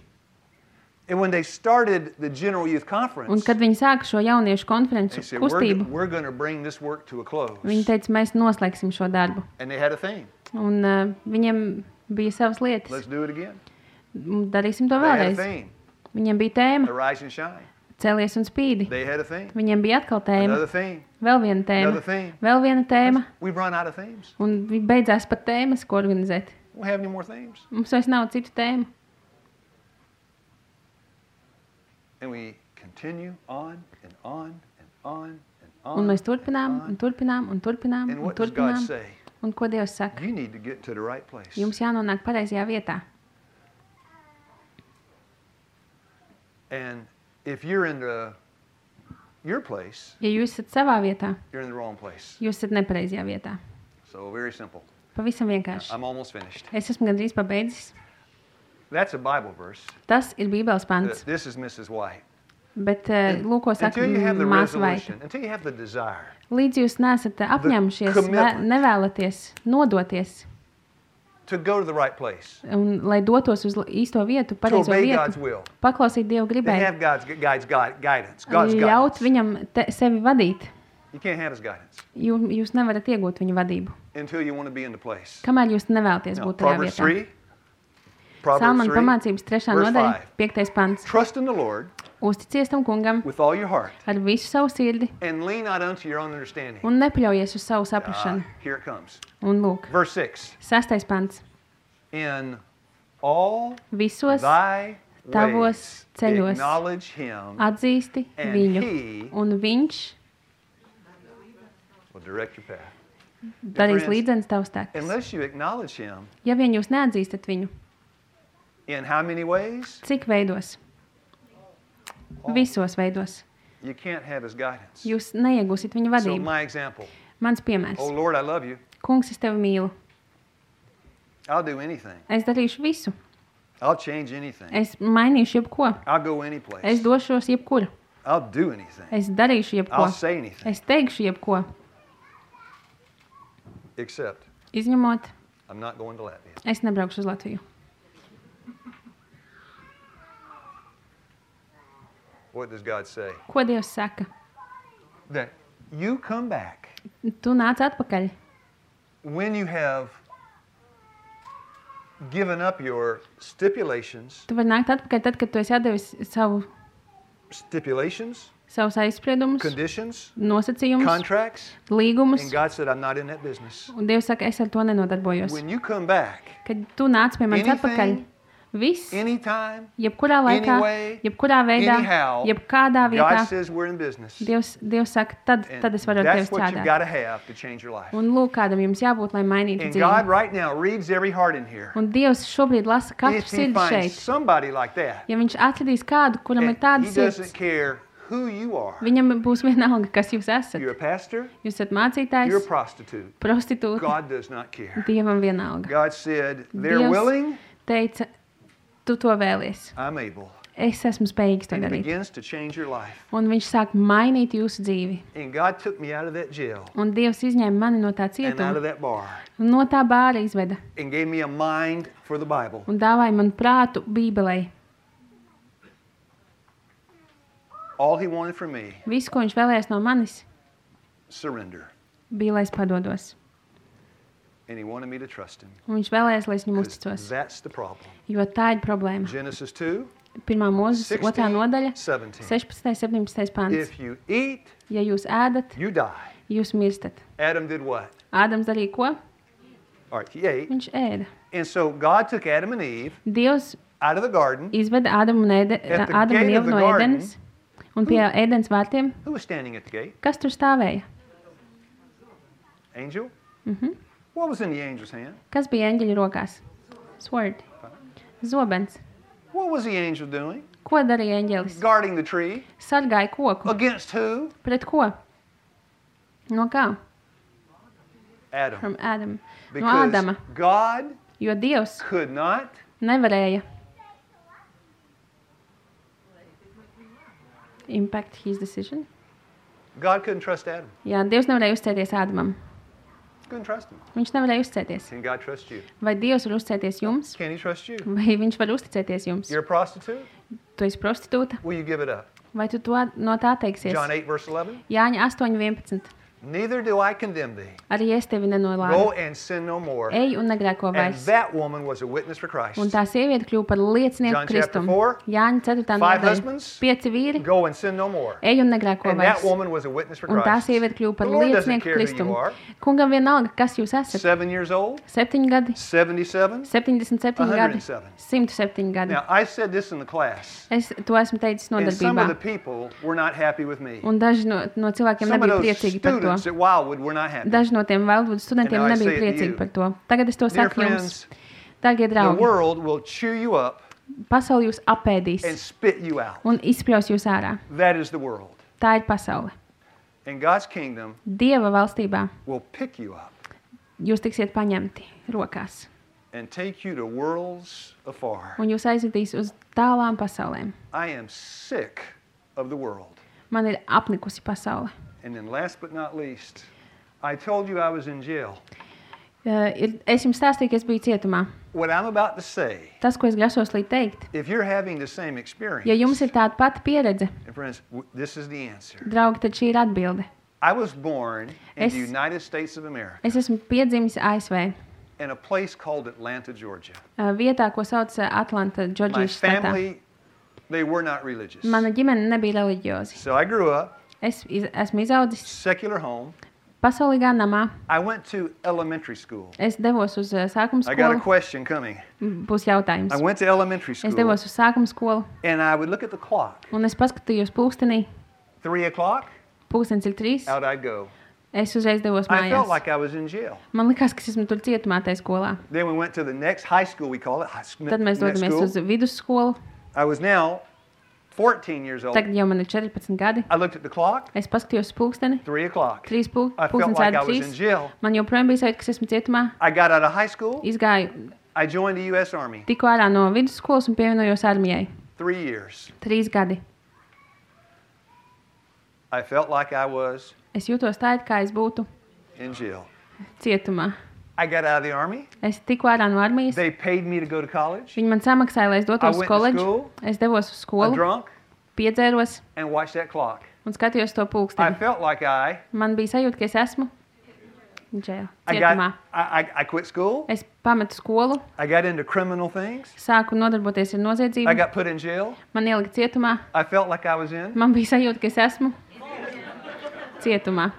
And when they started the General Youth Un Conference, kad viņi sāka šo jauniešu konferenci they said, kustību, we're going to bring this work to a close. viņi teica, mēs noslēgsim šo darbu. And they had a theme. Un viņiem bija savas lietas. Let's do it again. Darīsim to They had a vēlreiz. theme. Viņiem bija tēma, Arise and shine. celies un spīdi. They had a theme. Viņiem bija atkal tēma, Another theme. vēl viena tēma, Another theme. vēl viena tēma. We've run out of themes. Un beidzās pat tēmas, ko organizēt. We don't have any more themes. Mums vairs nav citu tēmu. And we continue on and on and on and Un on. mēs turpinām, and un turpinām, un turpinām, And un what does God turpinām. say? Un ko Dievs saka? You need to get to the right place. Jums jānonāk pareizajā vietā. And if you're in your place, Ja jūs esat savā vietā, you're in the wrong place. jūs esat nepareizajā vietā. So very simple. Pavisam vienkārši. I'm almost finished. Es esmu gandrīz pabeidzis. That's a Bible verse. Tas ir Bībeles pants. This is Mrs. White. Bet lūko saka Until you have the māsa Vaita. resolution, until you have the desire Līdz jūs neesat apņēmušies, commitment. nevēlaties, nodoties, to go to the right place, un lai dotos uz īsto vietu, to pareizo obey God's vietu, will, paklausīt Dievu to gribēju, have God's guidance. God's ļaut guidance. viņam sevi vadīt. You can't have His guidance Jūs nevarat iegūt viņa vadību, until you want to be in the place. kamēr jūs nevēlaties Now, būt tajā Proverbs vietā. 3. Proverbs Salmana 3. pamācības 3. verse nodaļa, 5. 5. pants. Trust in the Lord Uzticies tam kungam with all your heart ar visu savu sirdi and lean not unto your own understanding. un nepaļaujies uz savu saprašanu. Here it comes. Un lūk, Verse 6. 6. pants. In all Visos thy tavos ways ceļos acknowledge Him, atzīsti and viņu, He un viņš will direct your path. darīs friends, līdzenis tavs tekas. Unless you acknowledge Him, Ja vien jūs neatzīstat viņu, in how many ways? cik veidos? Visos veidos. You can't have His guidance. Jūs neiegūsiet viņa So vadību. my example. Mans piemērs. Oh Lord, I love you. Kungs, es tevi mīlu. I'll do anything. Es darīšu visu. I'll change anything. Es mainīšu jebko. I'll go any place. Es došos jebkur. I'll do anything. Es darīšu jebko. I'll say anything. Es teikšu jebko. Except Izņemot, I'm not going to Latvia. es nebraukšu uz Latviju. What does God say? Ko Dievs saka? That you come back Tu nāc atpakaļ, when you have given up your stipulations, tu vari nākt atpakaļ tad, kad tu esi atdevis savus aizspriedumus, conditions, nosacījumus, contracts, līgumus, and God said, I'm not in that business. un Dievs saka, es ar to nenodarbojos. When you come back, Kad tu nāc pie manis Anything, atpakaļ, viss, anytime, jebkurā laikā, anyway, jebkurā veidā, anyhow, jebkādā vietā, God says we're in business. Dievs saka, tad And es varu ar tevi that's what you've got strādāt. to have to change your life. Un lūk, kādam jums jābūt, lai mainītu And God dzīvi. right now reads every heart in here. Un Dievs šobrīd lasa katru If He sirdi finds šeit. somebody like that, Ja viņš atradīs kādu, kuram ir and tāda He sirds, doesn't care who you are. viņam būs vienalga, kas jūs esat. You're a pastor, Jūs esat you're a mācītājs, prostitute. prostitūta, God does not care. Dievam vienalga. God said, they're Dievs willing, teica, tu to vēlies. I'm able. Es esmu spējīgs to And He darīt. begins to change your life. Un viņš sāk mainīt jūsu dzīvi. And God took me out of that jail Un Dievs izņēma mani no tā and out cietuma, of that bar un no tā bāra izveda and gave me a mind for the Bible. un dāvāja man prātu Bībelei. All He wanted from me, Visu, ko viņš vēlējās no manis, surrender. bija, lai es padodos. And He wanted me to trust Him. Un viņš vēlējās, lai es viņam 'Cause uzticos. that's the problem. Jo tā ir problēma. Genesis 2, 1. mūzes 2. nodaļa, 17. 16. 17. pants. If you eat, Ja jūs ēdat, you die. jūs mirstat. Adam did what? Ādams darīja ko? All right, he ate. Viņš ēda. And so God took Adam and Eve Dievs out of the garden, izveda Ādamu un At the Ievu gate no of the garden, ēdenes, Un pie ēdens vārtiem, Who was standing at the gate? kas tur stāvēja? Angel? What was in the angel's hand? Kas bija eņģeļa rokās? Sword. Zobens. What was the angel doing? Ko darīja eņģelis? Guarding the tree. Sargāja koku. Against who? Pret ko? No kā? Adam. From Adam. No Because Ādama. God Jo Dievs could not nevarēja impact his decision. God couldn't trust Adam. Jā, Dievs nevarēja uzticēties Ādamam. Couldn't trust him. Viņš nevarēja uzticēties. Can God trust you? Vai Dievs var uzticēties jums? Can he trust you? Vai viņš var uzticēties jums? You're a prostitute? Tu esi prostitūta? Will you give it up? Vai tu to, no tā teiksies? John 8, verse 11. Jāņa 8:11. Neither do I condemn thee. Arī es tevi Go nenolādu. and sin no more. Ej un negrēko And vairs. that woman was a witness for Christ. Un tā sieviete kļuva par liecinieku John chapter Kristum. 4. Jāņa 4. Five nodaļa. husbands. 5 vīri. Go and sin no more. Ej un negrēko And that vairs. woman was a witness for Un tā Christ. sieviete kļuva par The Lord doesn't liecinieku care who Kristum. you are. Kungam vienalga, kas jūs esat. 7 years old, 7 gadi, 77. 77 gadi, 107. 107 gadi. Now, I said this in the class, Es to esmu teicis and some of the nodarbībā. people were not happy with me. Un daži no cilvēkiem Some of nebija those priecīgi par to. students at Wildwood were not happy. Daži no tiem Wildwood studentiem And now I nebija say it to priecīgi you. par to. Tagad es to Dear saku jums. friends, Dārgie the draugi, world will chew you up pasauli jūs and apēdīs spit you out. un izspļaus jūs ārā. That is the world. Tā ir pasaule. And God's kingdom Dieva valstībā will pick you up jūs tiksiet paņemti rokās. and take you to worlds afar. Un jūs aizvedīs uz tālām pasaulēm. I am sick of the world. Man ir apnikusi pasaule. And then last but not least, I told you I was in jail. Es jums stāstīju, ka es biju cietumā. What I'm about to say, Tas, ko es grasos līdz teikt, if you're having the same experience, ja jums ir tāda pati pieredze, and friends, this is the answer. draugi, tad šī ir atbilde. I was born in Es- the United States of America, Es esmu piedzimis ASV, in a place called Atlanta, Georgia. Vietā, ko sauc Atlanta, My Džordžijas štatā. family, they were not religious. Mana ģimene nebija reliģiozi. So I grew up, Esmu izaudzis secular home. pasaulīgā namā. I went to elementary school. Es devos uz sākuma I got a skolu. question coming. Būs jautājums. I went to elementary Es school, devos uz sākuma skolu, and I would look at the clock. un es paskatījos pulkstenī. 3 o'clock, Pulkstenis ir 3. out I'd go. Es uzreiz devos I felt mājās. like I was in jail. Man likās, ka es esmu tur cietumā tajā skolā. Then we went to the next high school, we call it. Tad mēs next dodamies school. uz vidusskolu. I was now 14 years old. Tagad jau man ir 14 gadi. I looked at the clock, Es paskatījos uz pulksteni. 3 o'clock. 3 I felt pulkstenis like I āda was in 3. jail. Man joprojām bija sajūta, ka es esmu cietumā. I got out of high school. Izgāju, I joined the U.S. Army. tikko ārā no vidusskolas un pievienojos armijai. 3 years. 3 gadi. I felt like I was Es jūtos tā, it kā es būtu in jail. cietumā. I got out of the Army. Es tikko ārā no armijas. They paid me to go to college. Viņi man samaksāja, lai es I dotos uz went to koledžu. school. Es devos uz I skolu, drunk piedzēros and watched that clock. un skatījos to I pulksteni. felt like Man bija sajūta, ka es esmu džēl, I cietumā. I quit school. Es pametu skolu, I got into criminal things. sāku nodarboties ar I noziedzību. got put in jail. Man ielika cietumā. I felt like I was in. Man bija sajūta, ka es esmu cietumā.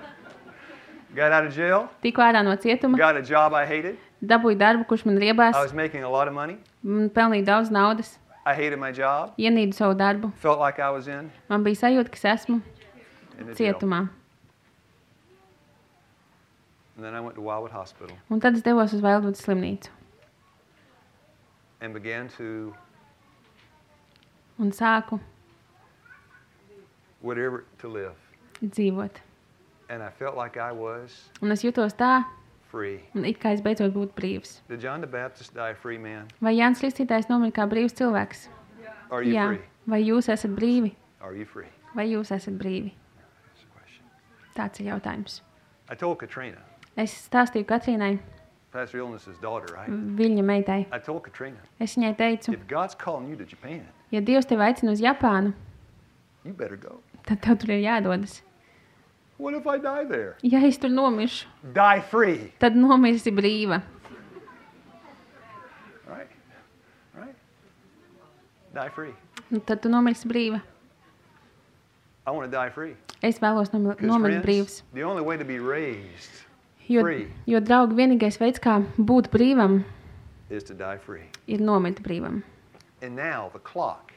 Got out of jail. Tikko ārā no cietuma, Got a job I hated. dabūju darbu, kurš man riebās, I was making a lot of money. pelnīju daudz naudas, I hated my job. ienīdu savu darbu. Felt like I was in Man bija sajūta, ka es esmu the jail. cietumā. And then I went to Wildwood Hospital Un tad es devos uz Wildwood slimnīcu and began to un sāku whatever to live. dzīvot. And I felt like I was Un es jutos tā, free. un it kā es beidzot būtu brīvs. Did John the Baptist die a free man? Vai Jānis Kristītājs nomira kā brīvs cilvēks? Are you Jā. free? Vai jūs esat brīvi? Are you free? Vai jūs esat brīvi? That's the question. Tāds ir jautājums. I told Katrina, Es stāstīju Katrīnai, Pastor Illness's daughter, right? viņa meitai. I told Katrina, Es viņai teicu, if God's calling you to Japan, ja Dievs tevi aicina uz Japānu, you better go. tad tev tur ir jādodas. What if I die there? Ja es tur nomiršu, Die free. tad nomirsi brīva. Right? Right? Die free. Un tad tu nomirsi brīva. I want to die free. Es vēlos 'Cause nomirt friends, brīvs. the only way to be raised Jo, free. jo, draugi, vienīgais veids, kā būt brīvam, is to die free. ir nomirt brīvam. And now the clock.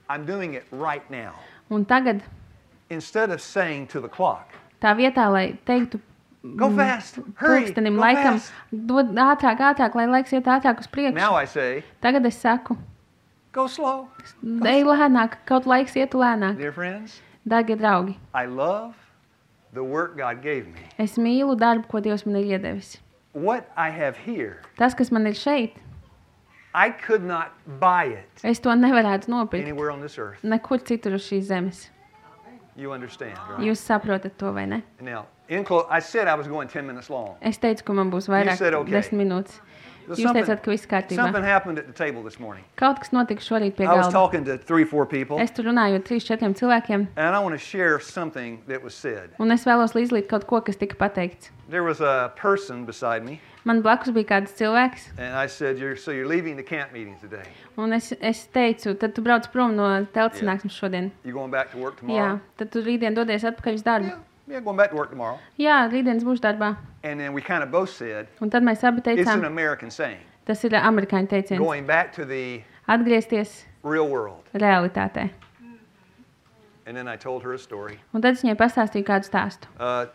I'm doing it right now. Un tagad, instead of saying to the clock, tā vietā, lai teiktu go fast, hurry, pulkstenim go laikam, fast. dod ātrāk, lai laiks iet ātrāk uz priekšu. Now I say, Tagad es saku, go slow. ej lēnāk, kaut laiks ietu lēnāk. Dear friends, Dārgie draugi, I love the work God gave me. es mīlu darbu, ko Dievs man ir iedevis. What I have here, Tas, kas man ir šeit, I could not buy it es to nevarētu nopirkt anywhere on this earth. nekur citur uz šīs zemes. You understand, right? Jūs saprotat to, vai ne? Now, I said I was going 10 minutes long. Es teicu, ka man būs vairāk said okay. 10 minūtes. Jūs teicāt, ka viss kārtībā. Something happened at the table this morning. Kaut kas notika šorīt pie I was galda. talking to 3-4 people, Es tur runāju ar 3-4 cilvēkiem, and I want to share something that was said. un es vēlos līdzlīt kaut ko, kas tika pateikts. There was a person beside me, Man blakus bija kāds cilvēks, and I said, so you're leaving the camp meeting today. un es teicu, tad tu brauc prom no telts sanāksmes šodien. You going back to work Jā, tomorrow? tad tu rītdien dodies atpakaļ uz darbu. Yeah, going back to work tomorrow. Jā, rītdienas būšu darbā. And then we kind of both said, Un tad mēs abi it's an teicām, American saying, tas ir amerikāņu teiciens, going back to the atgriezties real world. realitātē. And then I told her a story. Un tad es viņai pastāstīju kādu stāstu.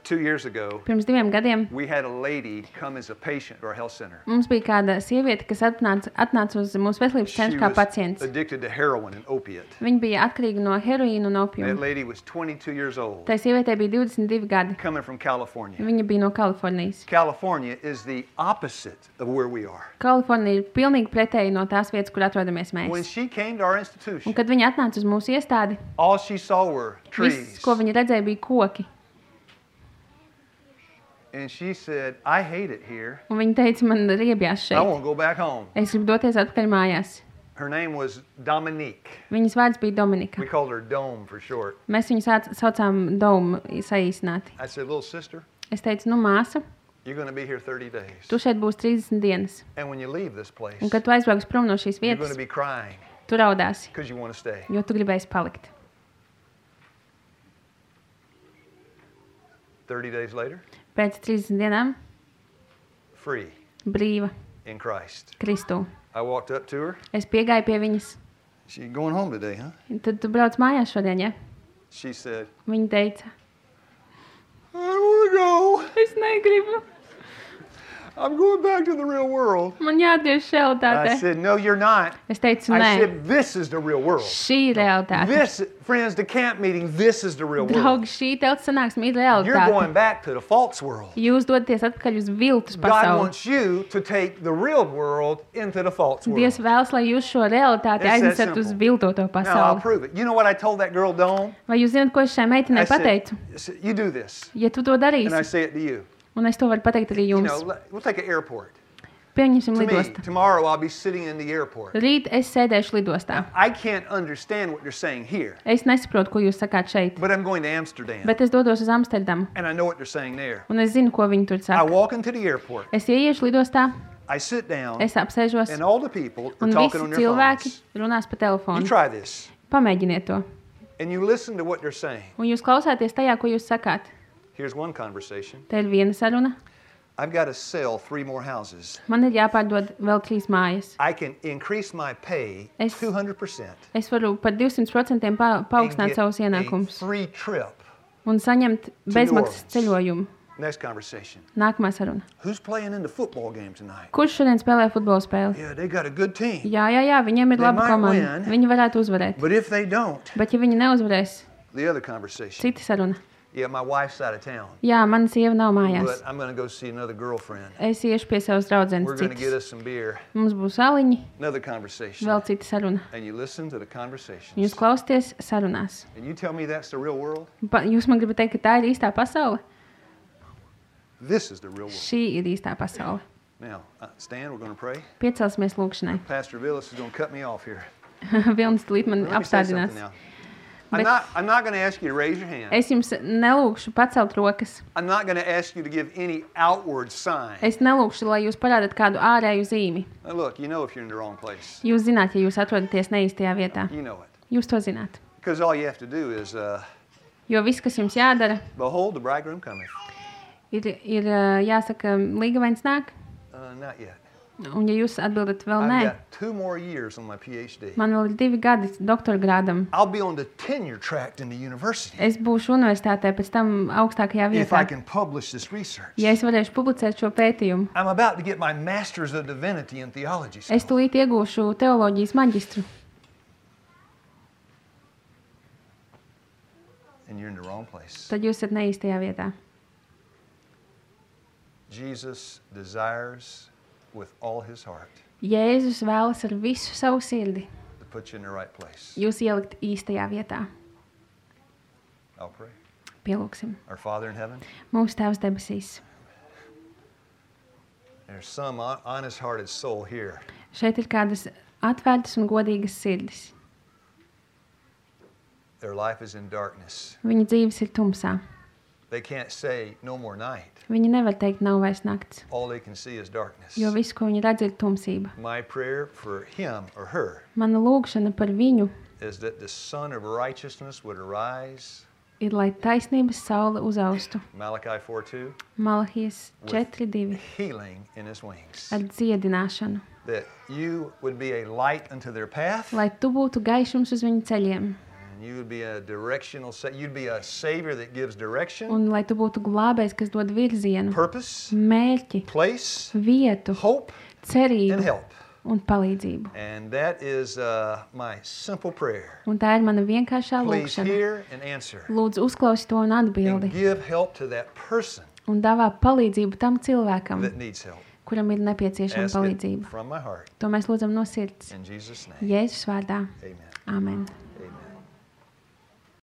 2 years ago, Pirms 2 gadiem we had a lady come as a patient to our health center. mums bija kāda sieviete, kas atnāca uz mūsu veselības She centru kā was pacients. addicted to heroin and opiate. Viņa bija atkarīga no heroīna un That opiuma. lady was 22 years old, Tai sievietei bija 22 gadi. coming from California. Viņa bija no Kalifornijas. California is the opposite of where we are. Kalifornija ir pilnīgi pretēji no tās vietas, kur atrodamies When mēs. she came to our Un institution, kad viņa atnāca uz mūsu iestādi, all she saw were viss, trees. ko viņa redzēja, bija koki. And she said, I hate it here. Un viņa teica, man riebjās I šeit. want to go back home. Es gribu doties atpakaļ mājās. Her name was Dominique. Viņas vārds bija Dominika. We called her Dome for short. Mēs viņu saucām Domu saīsināti. I said, little sister, Es teicu, nu māsa, you're going to be here 30 days. tu šeit būsi 30 dienas. And when you leave this place, Un kad tu aizbrauks prom no šīs you're going vietas, to be crying tu raudāsi, because you want to stay. jo tu gribēsi palikt. 30 days later, Pēc 30 dienām free brīva in Christ. Kristū. I walked up to her. Es piegāju pie viņas. She going home today, huh? Un tad tu brauc mājās šodien, ja? She said, Viņa teica, I don't want to go. es negribu. I'm going back to the real world. Man jāatgriež I realitāte. said, no, you're not. Es teicu, I nē, said, this is the real world. šī ir realitāte. This, friends, the camp meeting, this is the real world. Draugi, šī telts sanāksme ir You're going realitāte. back to the false world. Jūs dodaties atpakaļ uz viltus God pasauli. wants you to take the real world into the false world. Dievs vēlas, lai jūs šo realitāti It's that aiznesat uz simple. viltoto Now, I'll pasauli. prove it. You know what I told that girl, Dawn? Vai jūs zināt, ko es šai meitenei I pateicu? said, you do this. Ja tu to And I darīsi, say it to you. un es to varu pateikt arī You jums, know, we'll take an airport. pieņemsim To me, lidostu. tomorrow I'll be sitting in the airport. Rīt es sēdēšu lidostā. I can't understand what you're saying here, Es nesaprotu, ko jūs sakāt šeit, but I'm going to Amsterdam, bet es dodos uz Amsterdamu, and I know what they're saying there. un es zinu, ko viņi tur I saka. walk into the airport, Es ieiešu lidostā, I sit down, es apsēžos, and all the people are un talking visi on their cilvēki phones. runās pa You telefonu. try this, Pamēģiniet to. and you listen to what they're saying. Un jūs klausāties tajā, ko jūs sakāt. Here's one conversation. Te ir viena saruna. I've got to sell 3 more houses. Man ir jāpārdod vēl 3 mājas. I can increase my pay Es- 200% Es varu par 200% and paaugstināt get savus a ienākumus free trip. un saņemt bezmaksas ceļojumu. Next conversation. Nākamā saruna. Who's playing in the football game tonight? Kurš šodien spēlē futbola spēli? Yeah, they got a good team. Jā, viņiem ir They laba might komanda. win. Viņi varētu uzvarēt. But if they don't, Bet ja viņi neuzvarēs, the other conversation. cita saruna. Yeah, my wife's out of town, Jā, mana sieva nav but mājās. I'm going to go see another girlfriend. Es iešu pie savas draudzenes We're going to get citas. us some beer. Mums būs aliņi, Another conversation. vēl cita saruna. And you listen to the conversations. Jūs klausieties sarunās. And you tell me that's the real world? Jūs man gribat teikt, ka tā ir īstā pasaule? This is the real world. Šī ir īstā pasaule. Now, Stan, we're going to pray. Piecelsimies lūkšanai. Pastor Villas is going to cut me off here. Vilnis tūlīt man Let me say something apstādinās. now. Bet- I'm not going to ask you to raise your hand. Es jums nelūkšu pacelt rokas. I'm not going to ask you to give any outward sign. Es nelūkšu, lai jūs parādat kādu ārēju zīmi. Now, look, you know if you're in the wrong place. Jūs zināt, ja jūs atrodaties neīstajā vietā. You know it. Jūs to zināt. Because all you have to do is, Jo viss, kas jums jādara, behold, the bridegroom cometh. ir jāsaka, līgavains nāk. Not yet. Un ja jūs atbildat vēl nē, I've got 2 more years on my PhD. man vēl ir 2 gadi doktora grādam. I'll be on the tenure track in the university Es būšu universitātē pēc tam augstākajā if I vietā, can publish this research. ja es varēšu publicēt šo pētījumu. I'm about to get my Master's of Divinity in Theology. Es tūlīt iegūšu teoloģijas maģistru, And you're in the wrong place. tad jūs esat neīstajā vietā. Jesus desires with all his heart Jēzus vēlas ar visu savu sirdi to put you in the right place. jūs ielikt īstajā vietā. I'll pray. Pielūksim. Our Father in heaven, Mūsu Tēvs debesīs. there's some honest-hearted soul here Šeit ir kādas atvērtas un godīgas sirdis. Their life is in darkness. Viņa dzīves ir tumsā. They can't say no more night. Viņi nevar teikt, nav vairs nakts, All they can see is darkness. jo viss, ko viņi redz, ir tumsība. My prayer for him or her Mana lūgšana par viņu is that the Son of Righteousness would arise, ir, lai taisnības saule uzaustu. Malachi 4:2, Malahijas 4:2 healing in his wings. ar dziedināšanu. That you would be a light unto their path, Lai tu būtu gaišums uz viņu ceļiem. and you would be a directional, you'd be a savior that gives direction, Un lai tu būtu glābējs, kas dod virzienu, purpose, mērķi, place, vietu, hope, and cerību help. un palīdzību. And that is my simple prayer. Un tā ir mana vienkāršā Please lūgšana. hear and answer. Lūdzu, uzklausi to un And atbildi. give help to that person Un dāvā palīdzību tam cilvēkam, that needs help. kuram ir nepieciešama Ask it palīdzība. from my heart. To mēs lūdzam no sirds. In Jesus' name. Jēzus vārdā. Amen. Āmen.